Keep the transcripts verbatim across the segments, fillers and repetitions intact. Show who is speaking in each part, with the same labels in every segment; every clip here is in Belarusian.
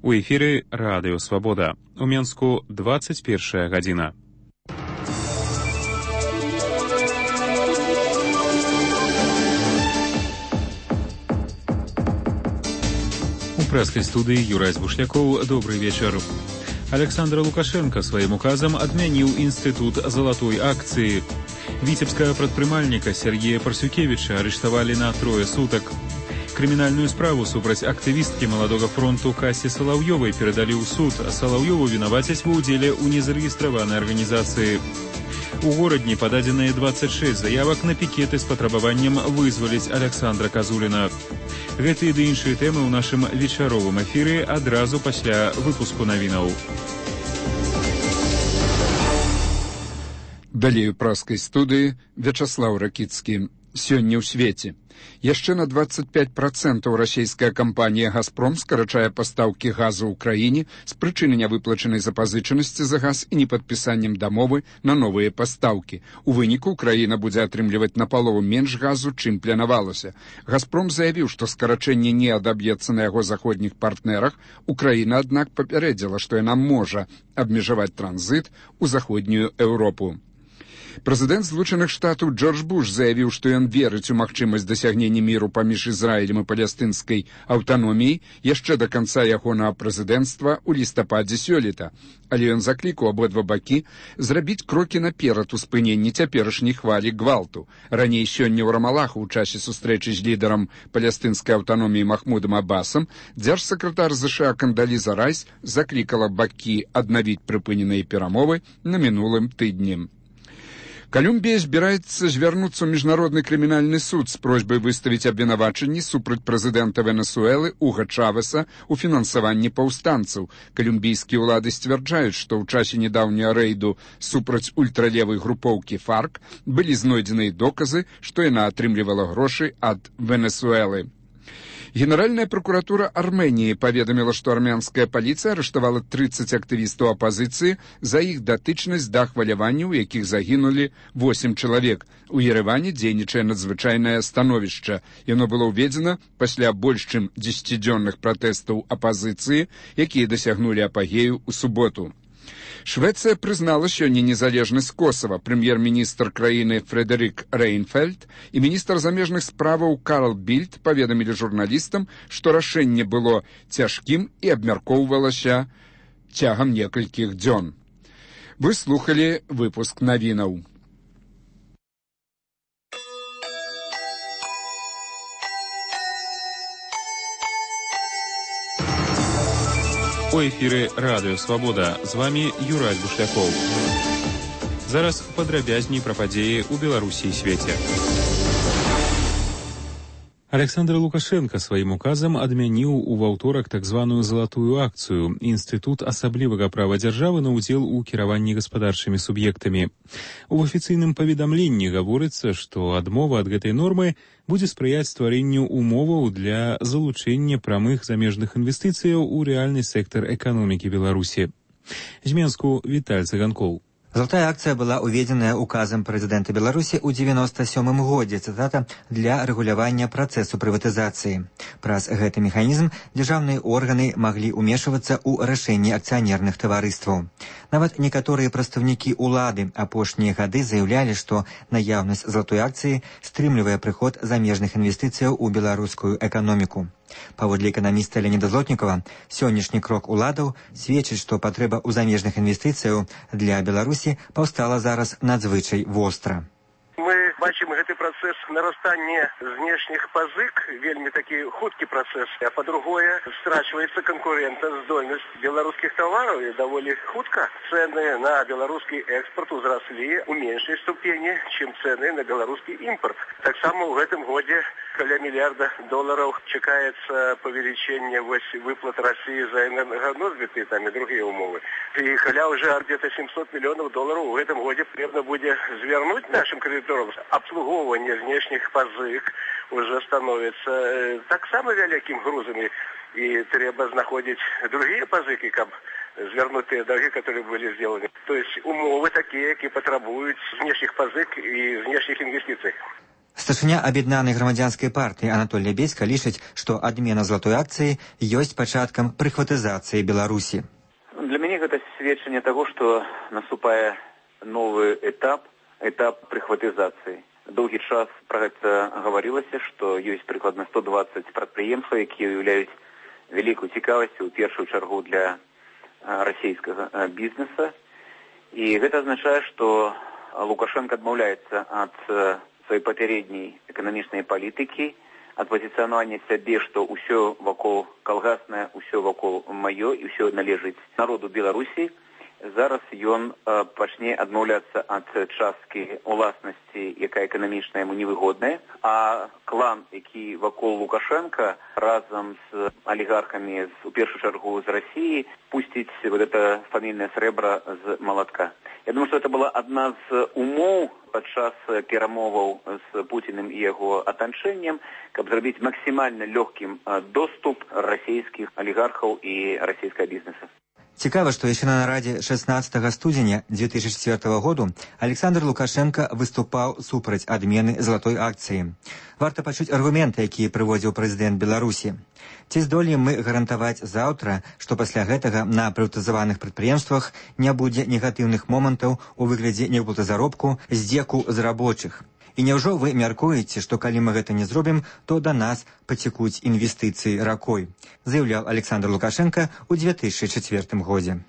Speaker 1: У эфіры Радыё Свабода. У Менску двадцать першая гадзіна. У прэскай студыі Юрай Бушлякоў. Добрый вечар. Александр Лукашенко сваім указам адмяніў інстытут залатой акцыі. Віцебскага прадпрымальніка Сергея Парсюкевіча арыштавалі на трое сутак. Крымінальную справу супраць актывісткі маладога фронту Касі Салаўёвай перадалі ў суд, а Салаўёву вінавацяць ва ўдзеле ў незарэгістраванай арганізацыі. У горадні пададзеныя двадцать шесть заявак на пікеты з патрабаваннем вызваліць Александра Казуліна. Гэтыя ды іншыя тэмы ў нашым вечаровым эфіры адразу пасля выпуску навінаў.
Speaker 2: Далей у прэскай студыі Вячаслаў Ракіцкі. Сёння ў свеце. Яшчэ на двадцать пять процентаў расійская кампанія «Газпром» скарачае пастаўкі газу ў краіне з прычыны нявыплачанай запазычанасці за газ і непадпісаннем дамовы на новыя пастаўкі. У выніку краіна будзе атрымліваць напалову менш газу, чым планавалася. «Газпром» заявіў, што скарачэнне не адаб'ецца на яго заходніх партнерах. Украіна, аднак, папярэдзіла, што яна можа абмежаваць транзіт у заходнюю Еўропу. Прэзідэнт Злучаных Штатаў Джордж Буш заявіў, што ён верыць у магчымасць дасягнення міру паміж Ізраілем і палестынскай аўтаноміяй яшчэ да канца ягонага прэзідэнцтва ў лістападзе сёлета. Але ён заклікаў абодва бакі зрабіць крокі наперад у спыненні цяперашняй хвалі гвалту. Раней сёння ў Рамалаху ў часе сустрэчы з лідарам палестынскай аўтаноміі Махмудам Аббасам дзяржсакратар ЗША Кандаліза Райс заклікала бакі аднавіць прыпыненыя перамовы на мінулым тыдні. Колумбія збіраецца звярнуцца ў міжнародны крымінальны суд з просьбай выставіць абвінавачанні супраць прэзідэнта Венесуэлы Уга Чавеса ў фінансаванні паўстанцаў. Колумбійскія ўлады сцвярджаюць, што ў часе нядаўняга рэйду супраць ультралевай групоўкі ФАРК былі знойдзеныя доказы, што яна атрымлівала грошы ад Венесуэлы. Генеральная прокуратура Армении паведаміла, што армянская паліцыя арыштавала тридцать актывістаў апазіцыі за іх датычнасць да хваляванняў, у якіх загінулі восемь чалавек. У Ерэване дзейнічае надзвычайнае становішча. Яно было ўведзена пасля больш чым дзесяцідзённых пратэстаў апазіцыі, якія дасягнулі апагею ў суботу. Швецыя прызнала сёння незалежнасць Косава. Прэм'ер-міністр краіны Фредерик Рейнфельд і міністр замежных справаў Карл Більд паведамілі журналістам, што рашэнне было цяжкім і абмяркоўвалася цягам некалькіх дзён. Вы слухалі выпуск навінаў.
Speaker 1: У эфіры Радыё Свабода. З вамі Юрай Бушлякоў. Зараз падрабязней пра падзеі ў Беларусі і свеце. Александр Лукашенко сваім указам адмяніў у ваўторак так званую залатую акцыю — інстытут асаблівага права дзяржавы на ўдзел у кіраванні гаспадарчымі суб'ектамі. У афіцыйным паведамленні гаворыцца, што адмова ад гэтай нормы будзе спрыяць стварэнню умоваў для залучэння прамых замежных інвестыцыяў у рэальны сектар эканомікі Беларусі. З Менску Віталь Цыганкоў.
Speaker 3: Золотая акция была уведзеная указом президента Беларуси ў девяносто сёмым годзе, цитата, для рэгулявання працэсу прыватызацыі. Праз гэты механізм дзяржаўныя органы маглі ўмешвацца ў рашэнні акцыянерных таварыстваў. Нават некаторыя прадстаўнікі ўлады апошнія гады заяўлялі, што наяўнасць золотой акцыі стрымлівае прыход замежных інвестыцыяў у беларускую эканоміку. Паводле эканаміста Леоніда Злотнікова, сённяшні крок уладаў сведчыць, што патрэба ў замежных інвестыцыяў для Беларусі паўстала зараз надзвычай востра.
Speaker 4: Мы бачым гэты працэс нарастання знешніх пазык, вельмі такі хуткі працэс, а па-другое, страчваецца канкурэнтаздольнасць беларускіх тавараў і даволі хутка. Цэны на беларускі экспорт узраслі ў меншай ступені, чым цэны на беларускі імпорт. Таксама ў гэтым годзе каля мільярда долараў чакаецца павелічэнне выплат России за энерганосбыты, там і другія умовы. І каля уже где-то семьсот миллионов долларов в этом году потребно будет звернуть нашим кредиторам. Обслуговывание внешних позык уже становится так само великим грузом, и треба знаходить другие позыки, как звернуть те долги, которые были сделаны. То есть умовы такие, которые потребуют внешних позык и внешних инвестиций.
Speaker 3: Старшыня аб'яднанай грамадзянскай партыі Анатолій Беська лічыць, што адмена залатой акцыі ёсць пачаткам прыхватызацыі Беларусі.
Speaker 5: Для мяне гэта сведчанне таго, што наступае новы этап, этап прыхватызацыі. Доўгі час пра гэта гаварылася, што ёсць прыкладна сто дваццаць прадпрыемстваў, якія ўяўляюць вялікую цікавасць у першую чаргу для расійскага бізнеса. І гэта азначае, што Лукашенко адмаўляецца ад сваёй папярэдняй эканамічнай палітыкі, ад пазіцыянавання сябе, што ўсё вакол калгаснае, ўсё вакол маё і ўсё належыць народу Беларусі. Зараз ён э, пачне адмаўляцца ад часткі уласнасці, якая эканамічна яму невыгодная, а клан, які вакол Лукашенка разам з алігархамі, з, у першую чаргу з Расіі, пусціць вот это фамільнае срэбра з малатка. Я думаю, што это была адна з умоў падчас перамоваў з Пуціным і яго атачэннем, каб зрабіць максімальна лёгкім доступ расійскіх алігархаў і расійскага бізнеса.
Speaker 3: Цікава, што яшчэ на нарадзе шэснаццатага студзеня две тысячи чвёртага году Александр Лукашенко выступаў супраць адмены залатой акцыі. Варта пачуць аргументы, якія прыводзіў прэзідэнт Беларусі. Ці здолеем мы гарантаваць заўтра, што пасля гэтага на прыватызаваных прадпрыемствах не будзе негатыўных момантаў у выглядзе няўплаты заробку, здзеку з рабочых? І няўжо вы мяркуеце, што калі мы гэта не зробім, то да нас пацекуць інвестыцыі ракой, заяўляў Александр Лукашенко ў две тысячи чвёртым годзе.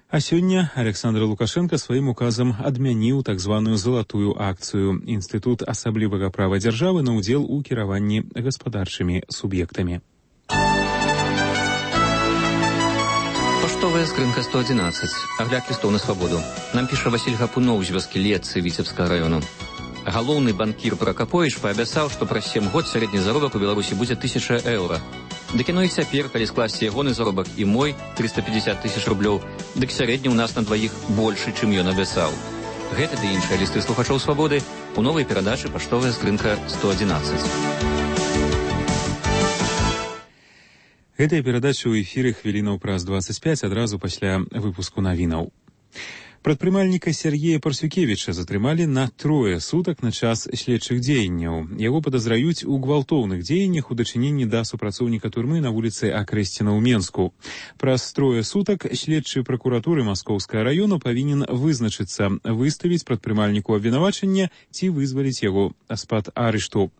Speaker 1: А сёння Александр Лукашенко сваім указам адмяніў так званую залатую акцыю Інстытут асаблівага права дзяржавы на ўдзел у кіраванні гаспадарчымі суб'ектамі.
Speaker 6: Паштовая скрынка сто адзінаццаць. Агляд лістоў на свабоду. Нам піша Васіль Гапунов з вёскі Летцы Віцебскага раёну. Галоўны банкір Пракаповіч паабяцаў, што праз сем год сярэдні заробак у Беларусі будзе тысяча еўра. Дык яно і цяпер, калі скласці ягоны заробак і мой триста пятьдесят тысяч рублёў, дык сярэдні ў нас на дваіх большы, чым ён абяцаў. Гэта ды іншыя лісты слухачоў свабоды у новай перадачы «Паштовая скрынка сто адзінаццаць».
Speaker 1: Гэтая перадача ў эфіры хвілінаў праз двадцать пять адразу пасля выпуску навінаў. Прадпрымальніка Сергея Парсюкевіча затрымалі на трое сутак на час следчых дзеянняў. Яго падазраюць у гвалтоўных дзеяннях у дачыненні да супрацоўніка турмы на вуліцы Акрэсціна ў Менску. Праз трое сутак следчы пракуратуры Маскоўскага раёну павінен вызначыцца, выставіць прадпрымальніку абвінавачання ці вызваліць яго з-пад арышту.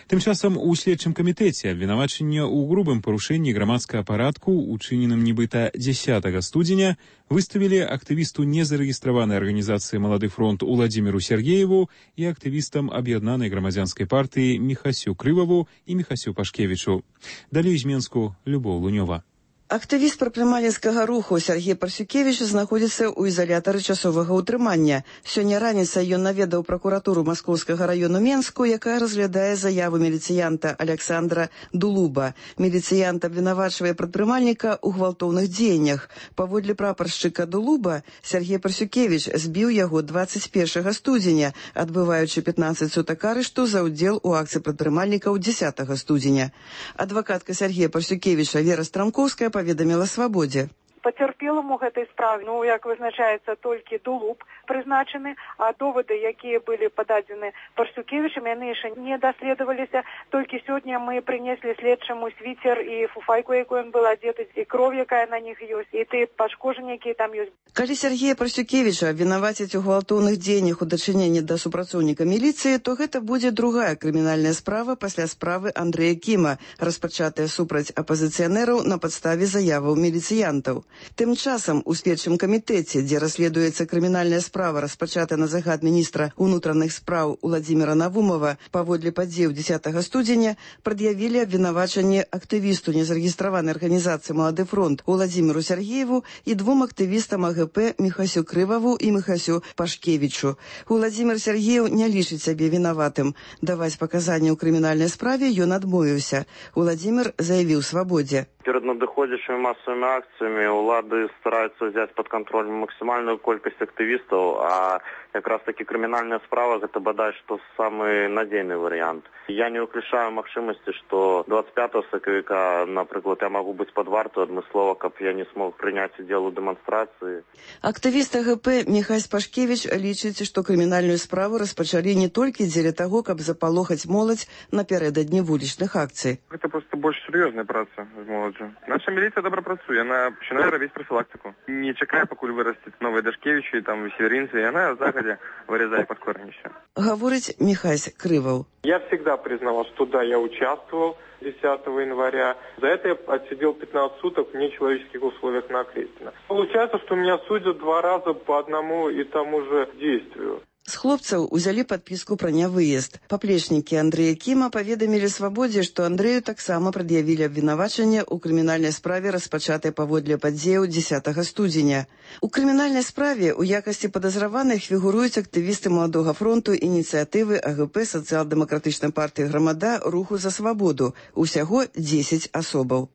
Speaker 1: Тым часам у следчым камітэце абвінавачання ў грубым парушэнні грамадскага парадку, учыненым нібыта дзесятага студзеня, выставілі актывісту незарэгістраванай арганізацыі «Малады фронт» Уладзіміру Сергееву і актывістам аб'яднанай грамадзянскай партыі Міхасю Крываву і Міхасю Пашкевічу. Далей з Менску Любоў Лунёва.
Speaker 7: Актывіст прадпрымальніцкага руху Сергей Парсюкевіч знаходзіцца ў изолятары часовага ўтрымання. Сёння раніцай ён наведаў пракуратуру Маскоўскага раёну Менску, якая разглядае заяву міліцыянта Александра Дулуба. Міліцыянт абвінавачвае прадпрымальніка ў гвалтоўных дзеяннях. Паводле прапаршчыка Дулуба, Сергей Парсюкевіч збіў яго двадцать першага студзеня, адбываючы пятнадцать сутак арышту за ўдзел у акцыі прадпрымальнікаў дзесятага студзеня. Адвакатка Сергея Парсюкевіча Вера Страмкоўская паведаміла «Свабодзе».
Speaker 8: Пацярпелым у гэтай справе, ну, як вызначаецца, толькі Дулуб прызначаны, а доводы, якія былі пададзены Парсюкевічам, яны яшчэ не даследаваліся. Толькі сёння мы прынеслі следчаму свіцер і фуфайку, якую ён был адзеты, і кроў, якая на них ёсць, і тыя пашкоджанні, якія там ёсць.
Speaker 7: Калі Сергея Парсюкевіча абвінавацяць у гвалтоўных дзеяннях у дачыненні да супрацоўніка міліцыі, то гэта будзе другая крымінальная справа пасля справы Андрэя Кіма, распачатая супраць апазіцыянераў на падставе заяваў міліцыянтаў. Тым часам у следчым камітэце, дзе расследуецца крымінальная справа, распачатая на загад міністра ўнутраных спраў Уладзіміра Навумова, паводле падзеяў дзесятага студзеня прад'явілі абвінавачанне актывісту незарэгістраванай арганізацыі «Малады фронт» Уладзіміру Сергееву і двум актывістам АГП Міхасю Крываву і Міхасю Пашкевічу. Уладзімір Сергеев не лічыць сябе вінаватым. Даваць паказанні ў крымінальнай справе ён адмовіўся. Уладзімір заявіў «Свабодзе».
Speaker 9: Перед надыходзячымі масавымі акцыямі ўлады стараюцца взять под контроль максимальную колькасць актывістаў, а как раз таки крымінальная справа гэта бадай што самы надзейны варыянт. Я не выключаю магчымасці, што двадцать пятого сакавіка, напрыклад, я магу быць пад варту адмыслова, каб я не смог прыняць удзел у дэманстрацыі.
Speaker 7: Актывіст АГП Міхась Пашкевіч лічыць, што крымінальную справу распачалі не толькі дзеля таго, каб запалохаць моладзь напярэдадні вулічных акцый.
Speaker 10: Гэта проста больш сур'ёзная праца з моладдзю. Наша міліцыя добра працуе, яна пачынае рабіць прафілактыку. Не чакае, пакуль вырасцяць новыя Дашкевічы, там северинцы, и она загодя вырезает под корнища.
Speaker 7: Говорит Михась Крывов.
Speaker 11: Я всегда признавал, что да, я участвовал десятого января. За это я отсидел пятнадцать суток в нечеловеческих условиях на Окрестина. Получается, что меня судят два раза по одному и тому же действию.
Speaker 7: З хлопцаў узялі падпіску пра нявыезд. Паплечнікі Андрэя Кіма паведамілі Свабодзе, што Андрэю таксама прад'явілі абвінавачанне ў крымінальнай справе, распачатай паводле падзеяў дзесятага студзеня. У крымінальнай справе ў якасці падазраваных фігуруюць актывісты Маладога фронту, ініцыятывы АГП, сацыял-дэмакратычнай партыі «Грамада», руху за свабоду. Усяго дзесяць асобаў.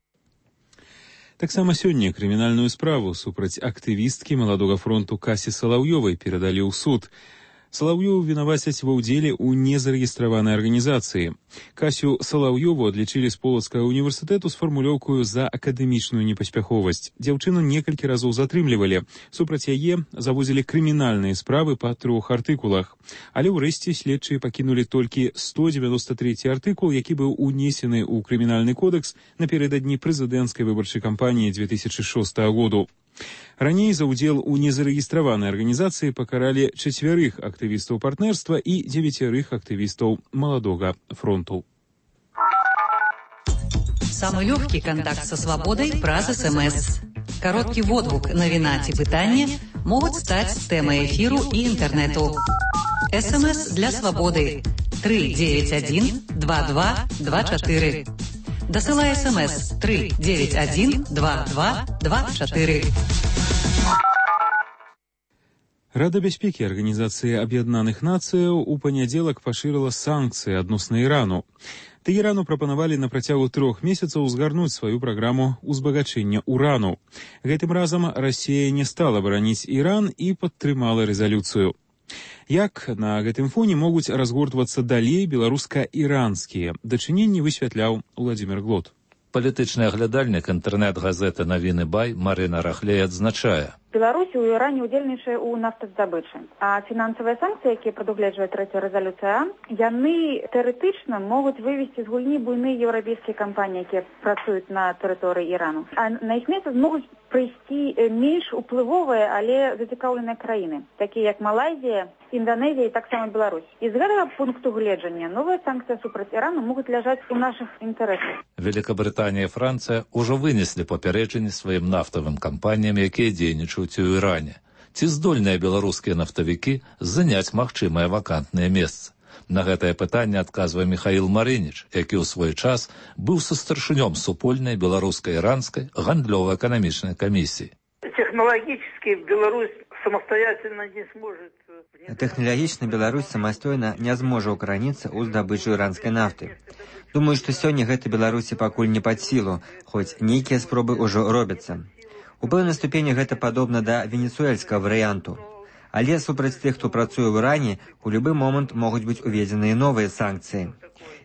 Speaker 1: Таксама сёння крымінальную справу супраць актывісткі Маладога фронту Касі Салаўёвай перадалі ў суд. Салаўёву вінавацяць ва ўдзеле ў незарэгістраванай арганізацыі. Касю Салаўёву адлічылі з Полацкага універсітэту з фармулёўкаю за акадэмічную непаспяховасць. Дзяўчыну некалькі разоў затрымлівалі. Супраць яе завозілі крымінальныя справы па трох артыкулах. Але ўрэшце следчыя пакінулі толькі сто девяносто третий артыкул, які быў унесены ў крымінальны кодэкс напярэдадні прэзідэнцкай выбарчай кампаніі две тысячи шостого году. Раней за ўдзел у незарэгістраванай арганізацыі пакаралі чацвярых актывістаў партнерства і дзевяцярых актывістаў Маладога фронту.
Speaker 12: Самый легкий контакт со свободой праз СМС. Короткий водгук, навіна ці пытанне могут стать темой эфиру и интернету. СМС для свободы три девять один два два два четыре. Досылай СМС три девять один два два два четыре.
Speaker 1: Рада бяспекі Арганізацыі Аб'яднаных Нацыяў у панядзелак пашырыла санкцыі адносна Ірану. Тэгерану прапанавалі на працягу трох месяцаў узгарнуць сваю праграму узбагачэння урану. Гэтым разам Расія не стала бараніць Іран і падтрымала рэзалюцыю. Як на гэтым фоне могуць разгортвацца далей беларуска-іранскія дачыненні, высвятляў Владзімир Глот.
Speaker 13: Палітычны аглядальнік інтэрнэт-газеты «Навіны Бай» Марына Рахлей адзначае.
Speaker 14: Беларусь у Іране удзельнічае ў нафтаздабычы, а фінансавыя санкцыі, якія прадугледжвае трэця рэзалюцыя, яны тэарэтычна могуць вывесці з гульні буйныя еўрапейскія кампаніі, якія працуюць на тэрыторыі Ірану. А на іх месца могуць прыйсці менш уплывовыя, але зацікаўленыя краіны, такія як Малайзія, Індонезія і таксама Беларусь. І з гэтага пункту гледжання новыя санкцыі супраць Ірану могуць ляжаць у нашых інтарэсах.
Speaker 13: Великабрытанія і Францыя ўжо вынеслі папярэджанні сваім нафтавым кампаніям, якія дзейнічаюць у Іране. Ці здольныя беларускія нафтавікі заняць магчымыя вакантныя месцы? На гэтае пытанне адказвае Михаил Марыніч, які ў свой час быў састаршынём супольнай беларуска-іранскай гандлёва-эканамічнай камісіі.
Speaker 15: Технологически Беларусь самостоятельно не сможет...
Speaker 3: Тэхналагічна Беларусь самастойна не зможа ўкараніцца ў здабычу іранскай нафты. Думаю, што сёння гэта Беларусі пакуль не пад сілу, хоць нейкія спробы ўжо робяцца. У пэўнай ступені гэта падобна да венесуэльскага варыянту. Але супраць тых, хто працуе ў Іране, у любы момант могуць быць уведзеныя новыя санкцыі.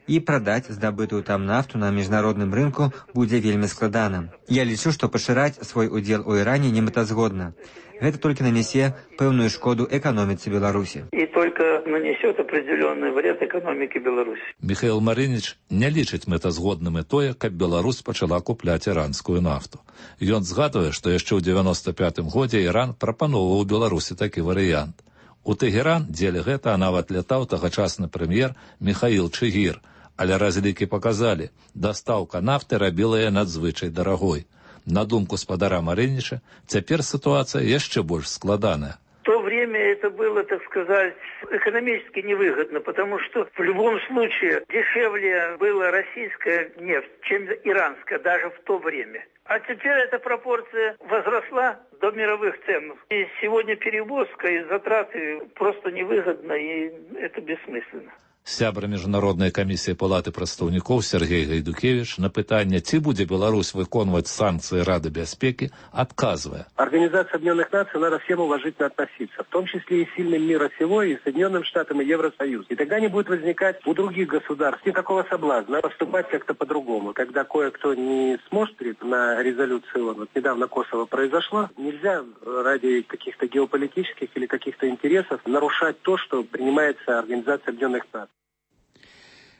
Speaker 3: І прадаць здабытую там нафту на міжнародным рынку будзе вельмі складана. Я лічу, што пашыраць свой удзел у Іране немэтазгодна. Гэта толькі нанесе пэўную шкоду эканоміцы Беларусі.
Speaker 15: И только нанесет определенный вред экономике Беларуси.
Speaker 13: Михаил Марыніч не лічыць мэтазгодным і тое, каб Беларусь пачала купляць іранскую нафту. Ён згадвае, што яшчэ ў девяносто пятым годзе Іран прапаноўваў Беларусі такі варыянт. У Тэгеран дзеля гэта нават лятаў тагачасны прэм'ер Михаил Чыгір, але разлікі паказалі, дастаўка нафты рабіла яе надзвычай дарагой. На думку спадара Марыніча, цяпер ситуация яшчэ больш складаная.
Speaker 15: В то время это было, так сказать, экономически невыгодно, потому что в любом случае дешевле была российская нефть, чем иранская, даже в то время. А теперь эта пропорция возросла до мировых цен. И сегодня перевозка и затраты просто невыгодно, и это бессмысленно.
Speaker 13: Сябра міжнароднай камісіі палаты прадстаўнікоў Сергей Гайдукевич на пытанне, ці будзе Беларусь выконваць санкции Рады бяспекі, отказывая.
Speaker 4: Организация Объединенных Наций надо всем уважительно относиться, в том числе и сильным мира сего, и Соединенным Штатам, и Евросоюз. И тогда не будет возникать у других государств никакого соблазна поступать как-то по-другому. Когда кое-кто не смотрит на резолюцию ООН, вот недавно Косово произошло, нельзя ради каких-то геополитических или каких-то интересов нарушать то, что принимается Организацией Объединенных Наций.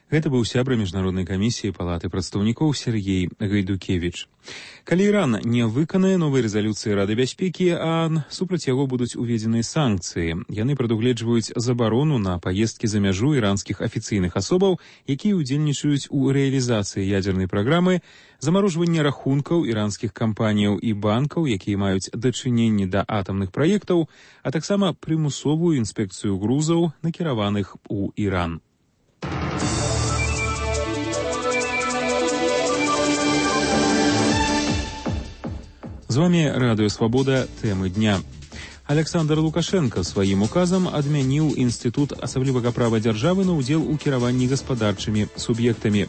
Speaker 1: Гэта быў сябра міжнароднай камісіі палаты прадстаўнікоў Сергей Гайдукевич. Калі Іран не выканае новай рэзалюцыі Рады бяспекі ООН, супраць яго будуць уведзеныя санкцыі. Яны прадугледжваюць забарону на паездкі за мяжу іранскіх афіцыйных асобаў, якія ўдзельнічаюць у рэалізацыі ядзернай праграмы, замарожванне рахункаў іранскіх кампаніяў і банкаў, якія маюць дачыненне да атамных праектаў, а таксама прымусовую інспекцыю грузаў, накіраваных у Іран. З вами Радыё Свабода, тэмы дня. Александр Лукашенко сваім указам адмяніў інстытут асаблівага права дзяржавы на ўдзел у кіраванні гаспадарчымі суб'ектамі.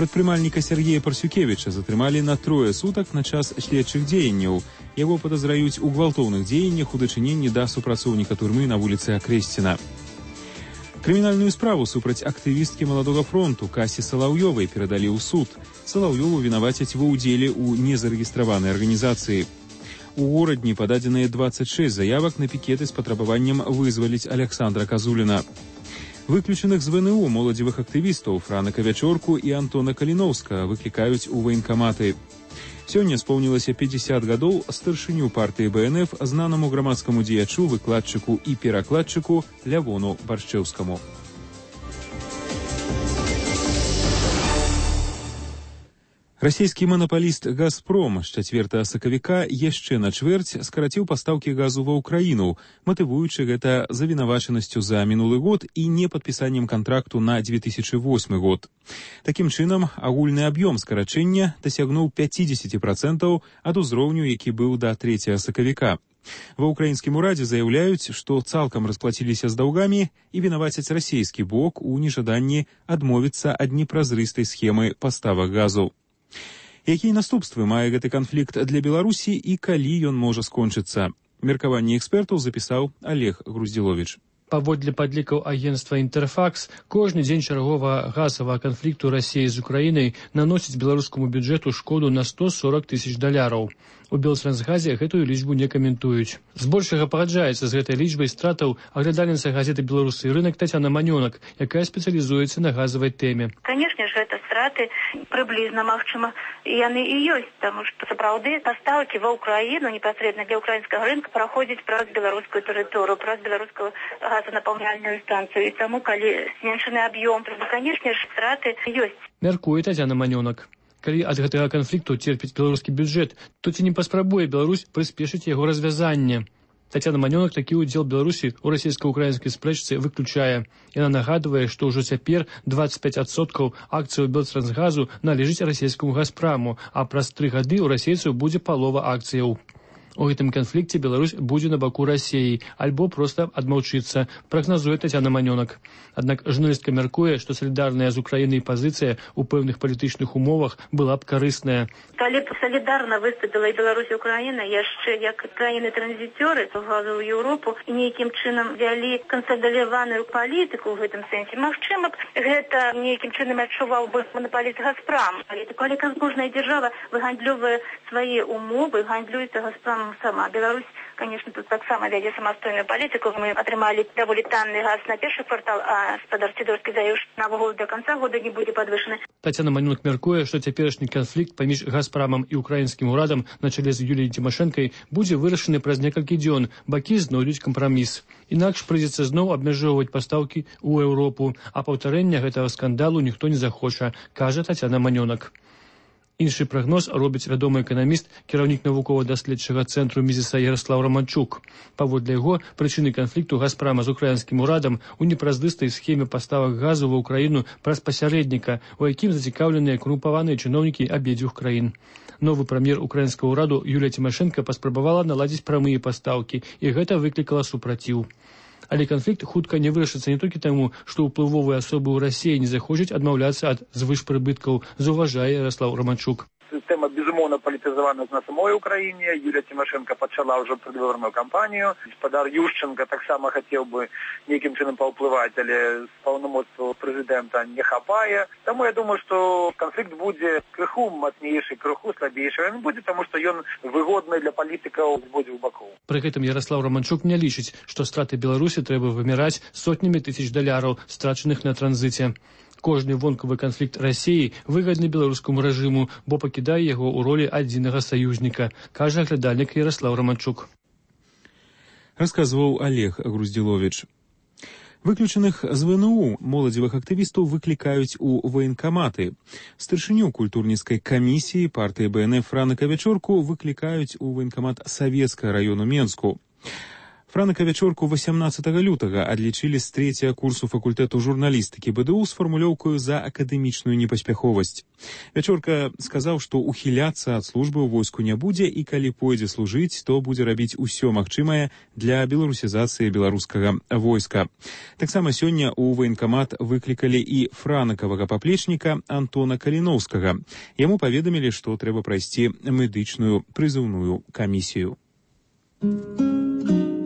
Speaker 1: Прадпрымальніка Сергея Парсюкевіча затрымалі на трое сутак на час следчых дзеянняў. Яго падазраюць у гвалтоўных дзеяннях у дачыненні да супрацоўніка турмы на вуліцы Акрэсціна. Крымінальную справу супраць актывісткі Маладога фронту Касі Салаўёвай перадалі ў суд. Салаўёву вінавацяць ва ўдзеле ў незарэгістраванай арганізацыі. У горадні пададзеныя двадцать шесть заявак на пікеты з патрабаваннем вызваліць Александра Казуліна. Выключаных з вэ эн у моладзевых актывістаў Франака Вячорку і Антона Каліноўска выклікаюць у ваенкаматы. Сёння споўнілася пятьдесят гадоў старшыню партыі бэ эн эф знанаму грамадскаму дзеячу, выкладчыку і перакладчыку Лявону Баршчэўскаму. Расійскі манапаліст «Газпром» з чацвёртага сакавіка яшчэ на чвэрць скараціў пастаўкі газу ва ўкраіну, матывуючы гэта завінавачанасцю за мінулы год і непадпісаннем кантракту на две тысячи восьмы год. Такім чынам, агульны аб'ём скарачэння дасягнуў пятьдесят процентов ад узроўню, які быў да трэцяга сакавіка. Ва ўкраінскім урадзе заяўляюць, што цалкам расплаціліся з даўгамі і вінавацяць расійскі бок у нежаданні адмовіцца ад непразрыстай схемы паставак газу. Якія наступствы мае гэты канфлікт для Беларусі і калі ён можа скончыцца? Меркаванне экспертаў запісаў Олег Груздзіловіч.
Speaker 16: Паводле падлікаў агенцтва «Інтэрфакс», кожны дзень чарговага газавага канфлікту Расіі з Украінай наносіць беларускаму бюджэту шкоду на сто сорок тысяч даляраў. У Белтрансгазе гэтую лічбу не каментуюць. Збольшага пагаджаецца з гэтай лічбай стратаў аглядальніца газеты «Беларусы і рынак» Тацяна Манёнак, якая спецыялізуецца на газавай тэме.
Speaker 17: Канешне ж, гэта страты прыблізна, магчыма, яны і ёсць, таму што сапраўды пастаўкі ва ўкраіну непасрэдна для ўкраінскага рынка праходзяць праз беларускую тэрыторыю, праз беларускую газанапаўняльную станцыю. І таму, калі зменшаны аб'ём, то, канешне ж, страты ёсць.
Speaker 16: Мяркуе Тацяна Манёнак. Калі ад гэтага канфлікту церпіць беларускі бюджэт, то ці не паспрабуе Беларусь прыспешыць яго развязанне? Тацяна Манёнак такі ўдзел Беларусі ў расійска-украінскай спрэчцы выключае. Яна нагадвае, што ўжо цяпер двадцать пять адсоткаў акцыяў Белтрансгазу належыць расійскаму «Газпраму», а праз тры гады ў расейцаў будзе палова акцыяў. У гэтым канфлікце Беларусь будзе на баку Расіі альбо проста адмаўчыцца, прагназуе Тацяна Манёнак. Аднак журналістка мяркуе, што салідарная з Украінай пазіцыя ў пэўных палітычных умовах была б карысная.
Speaker 17: Калі б салідарна выступіла і Беларусь і Украіна яшчэ як краіны-транзіцёры газу ў Еўропу і нейкім чынам вялі кансалідаваную палітыку ў гэтым сэнсе, магчыма б гэта нейкім чынам адчуваў бы манапаліст «Газпрам». Калі кожная дзяржава выгандлёвае свае умовы, гандлюецца «Газпрам» сама. Беларусь, конечно, тут таксама вядзе самастойную палітыку. Мы атрымалі даволі танны газ на першы квартал, а спадар Сідорскі заявіў, што навогул да канца года не будзе падвышаны.
Speaker 16: Тацяна Манёнак мяркуе, што цяперашні канфлікт паміж «Газпрамам» і украінскім урадам на чале з Юліяй Цімашэнкай будзе вырашаны праз некалькі дзён. Бакі знойдуць кампраміс. Інакш прыйдзецца зноў абмяжоўваць пастаўкі ў Еўропу, а паўтарэння гэтага скандалу ніхто не захоча, кажа Тацяна Манёнак. Іншы прагноз робіць вядомы эканаміст, кіраўнік навукова-даследчага цэнтру Мізіса Яраслаў Раманчук. Паводле яго, прычыны канфлікту «Газпрама» з украінскім урадам у непразрыстай схеме паставак газу ва ўкраіну праз пасярэдніка, у якім зацікаўленыя карумпаваныя чыноўнікі абедзвюх краін. Новы прэм'ер украінскага ўраду Юлія Цімашэнка паспрабавала наладзіць прамыя пастаўкі, і гэта выклікала супраціў. Але канфлікт хутка не вырашыцца не толькі таму, што ўплывовыя асобы ў Расіі не захочуць адмаўляцца ад звышпрыбыткаў, заўважае Ярослаў Романчук.
Speaker 18: Система, безумовно, политизована на самой Украине. Юлия Тимошенко почала уже предвыборную кампанию. Господар Ющенко так само хотел бы неким чином поуплывать, але полномочия президента не хапая. Тому я думаю, что конфликт будет крыху мощнейший, крыху слабейший. Он будет, потому что он выгодный для политиков с обоих боков.
Speaker 16: При этом Ярослав Романчук не лічыць, што страты Беларусі трэба вымяраць сотнямі тысяч даляраў, страчаных на транзіце. Кожны вонкавы канфлікт Расіі выгадны беларускаму рэжыму, бо пакідае яго ў ролі адзінага саюзніка, кажа глядальнік Ярослав Романчук.
Speaker 1: Расказваў Олег Груздзіловіч. Выключаных з ВНУ моладзевых актывістаў выклікаюць у ваенкаматы. Старшыню культурніцкай камісіі партыі БНФ Франака Вячорку выклікаюць у ваенкамат Савецкага раёну Менску. Франака Вячорку восемнадцатага лютага адлічылі з трэцяга курсу факультэту журналістыкі БДУ з фармулёўкаю за акадэмічную непаспяховасць. Вячорка сказаў, што ухіляцца ад службы ў войску не будзе і калі пойдзе служыць, то будзе рабіць усё магчымае для беларусізацыі беларускага войска. Таксама сёння ў ваенкамат выклікалі і франакавага паплечніка Антона Каліноўскага. Яму паведамілі, што трэба прайсці медычную прызыўную камісію.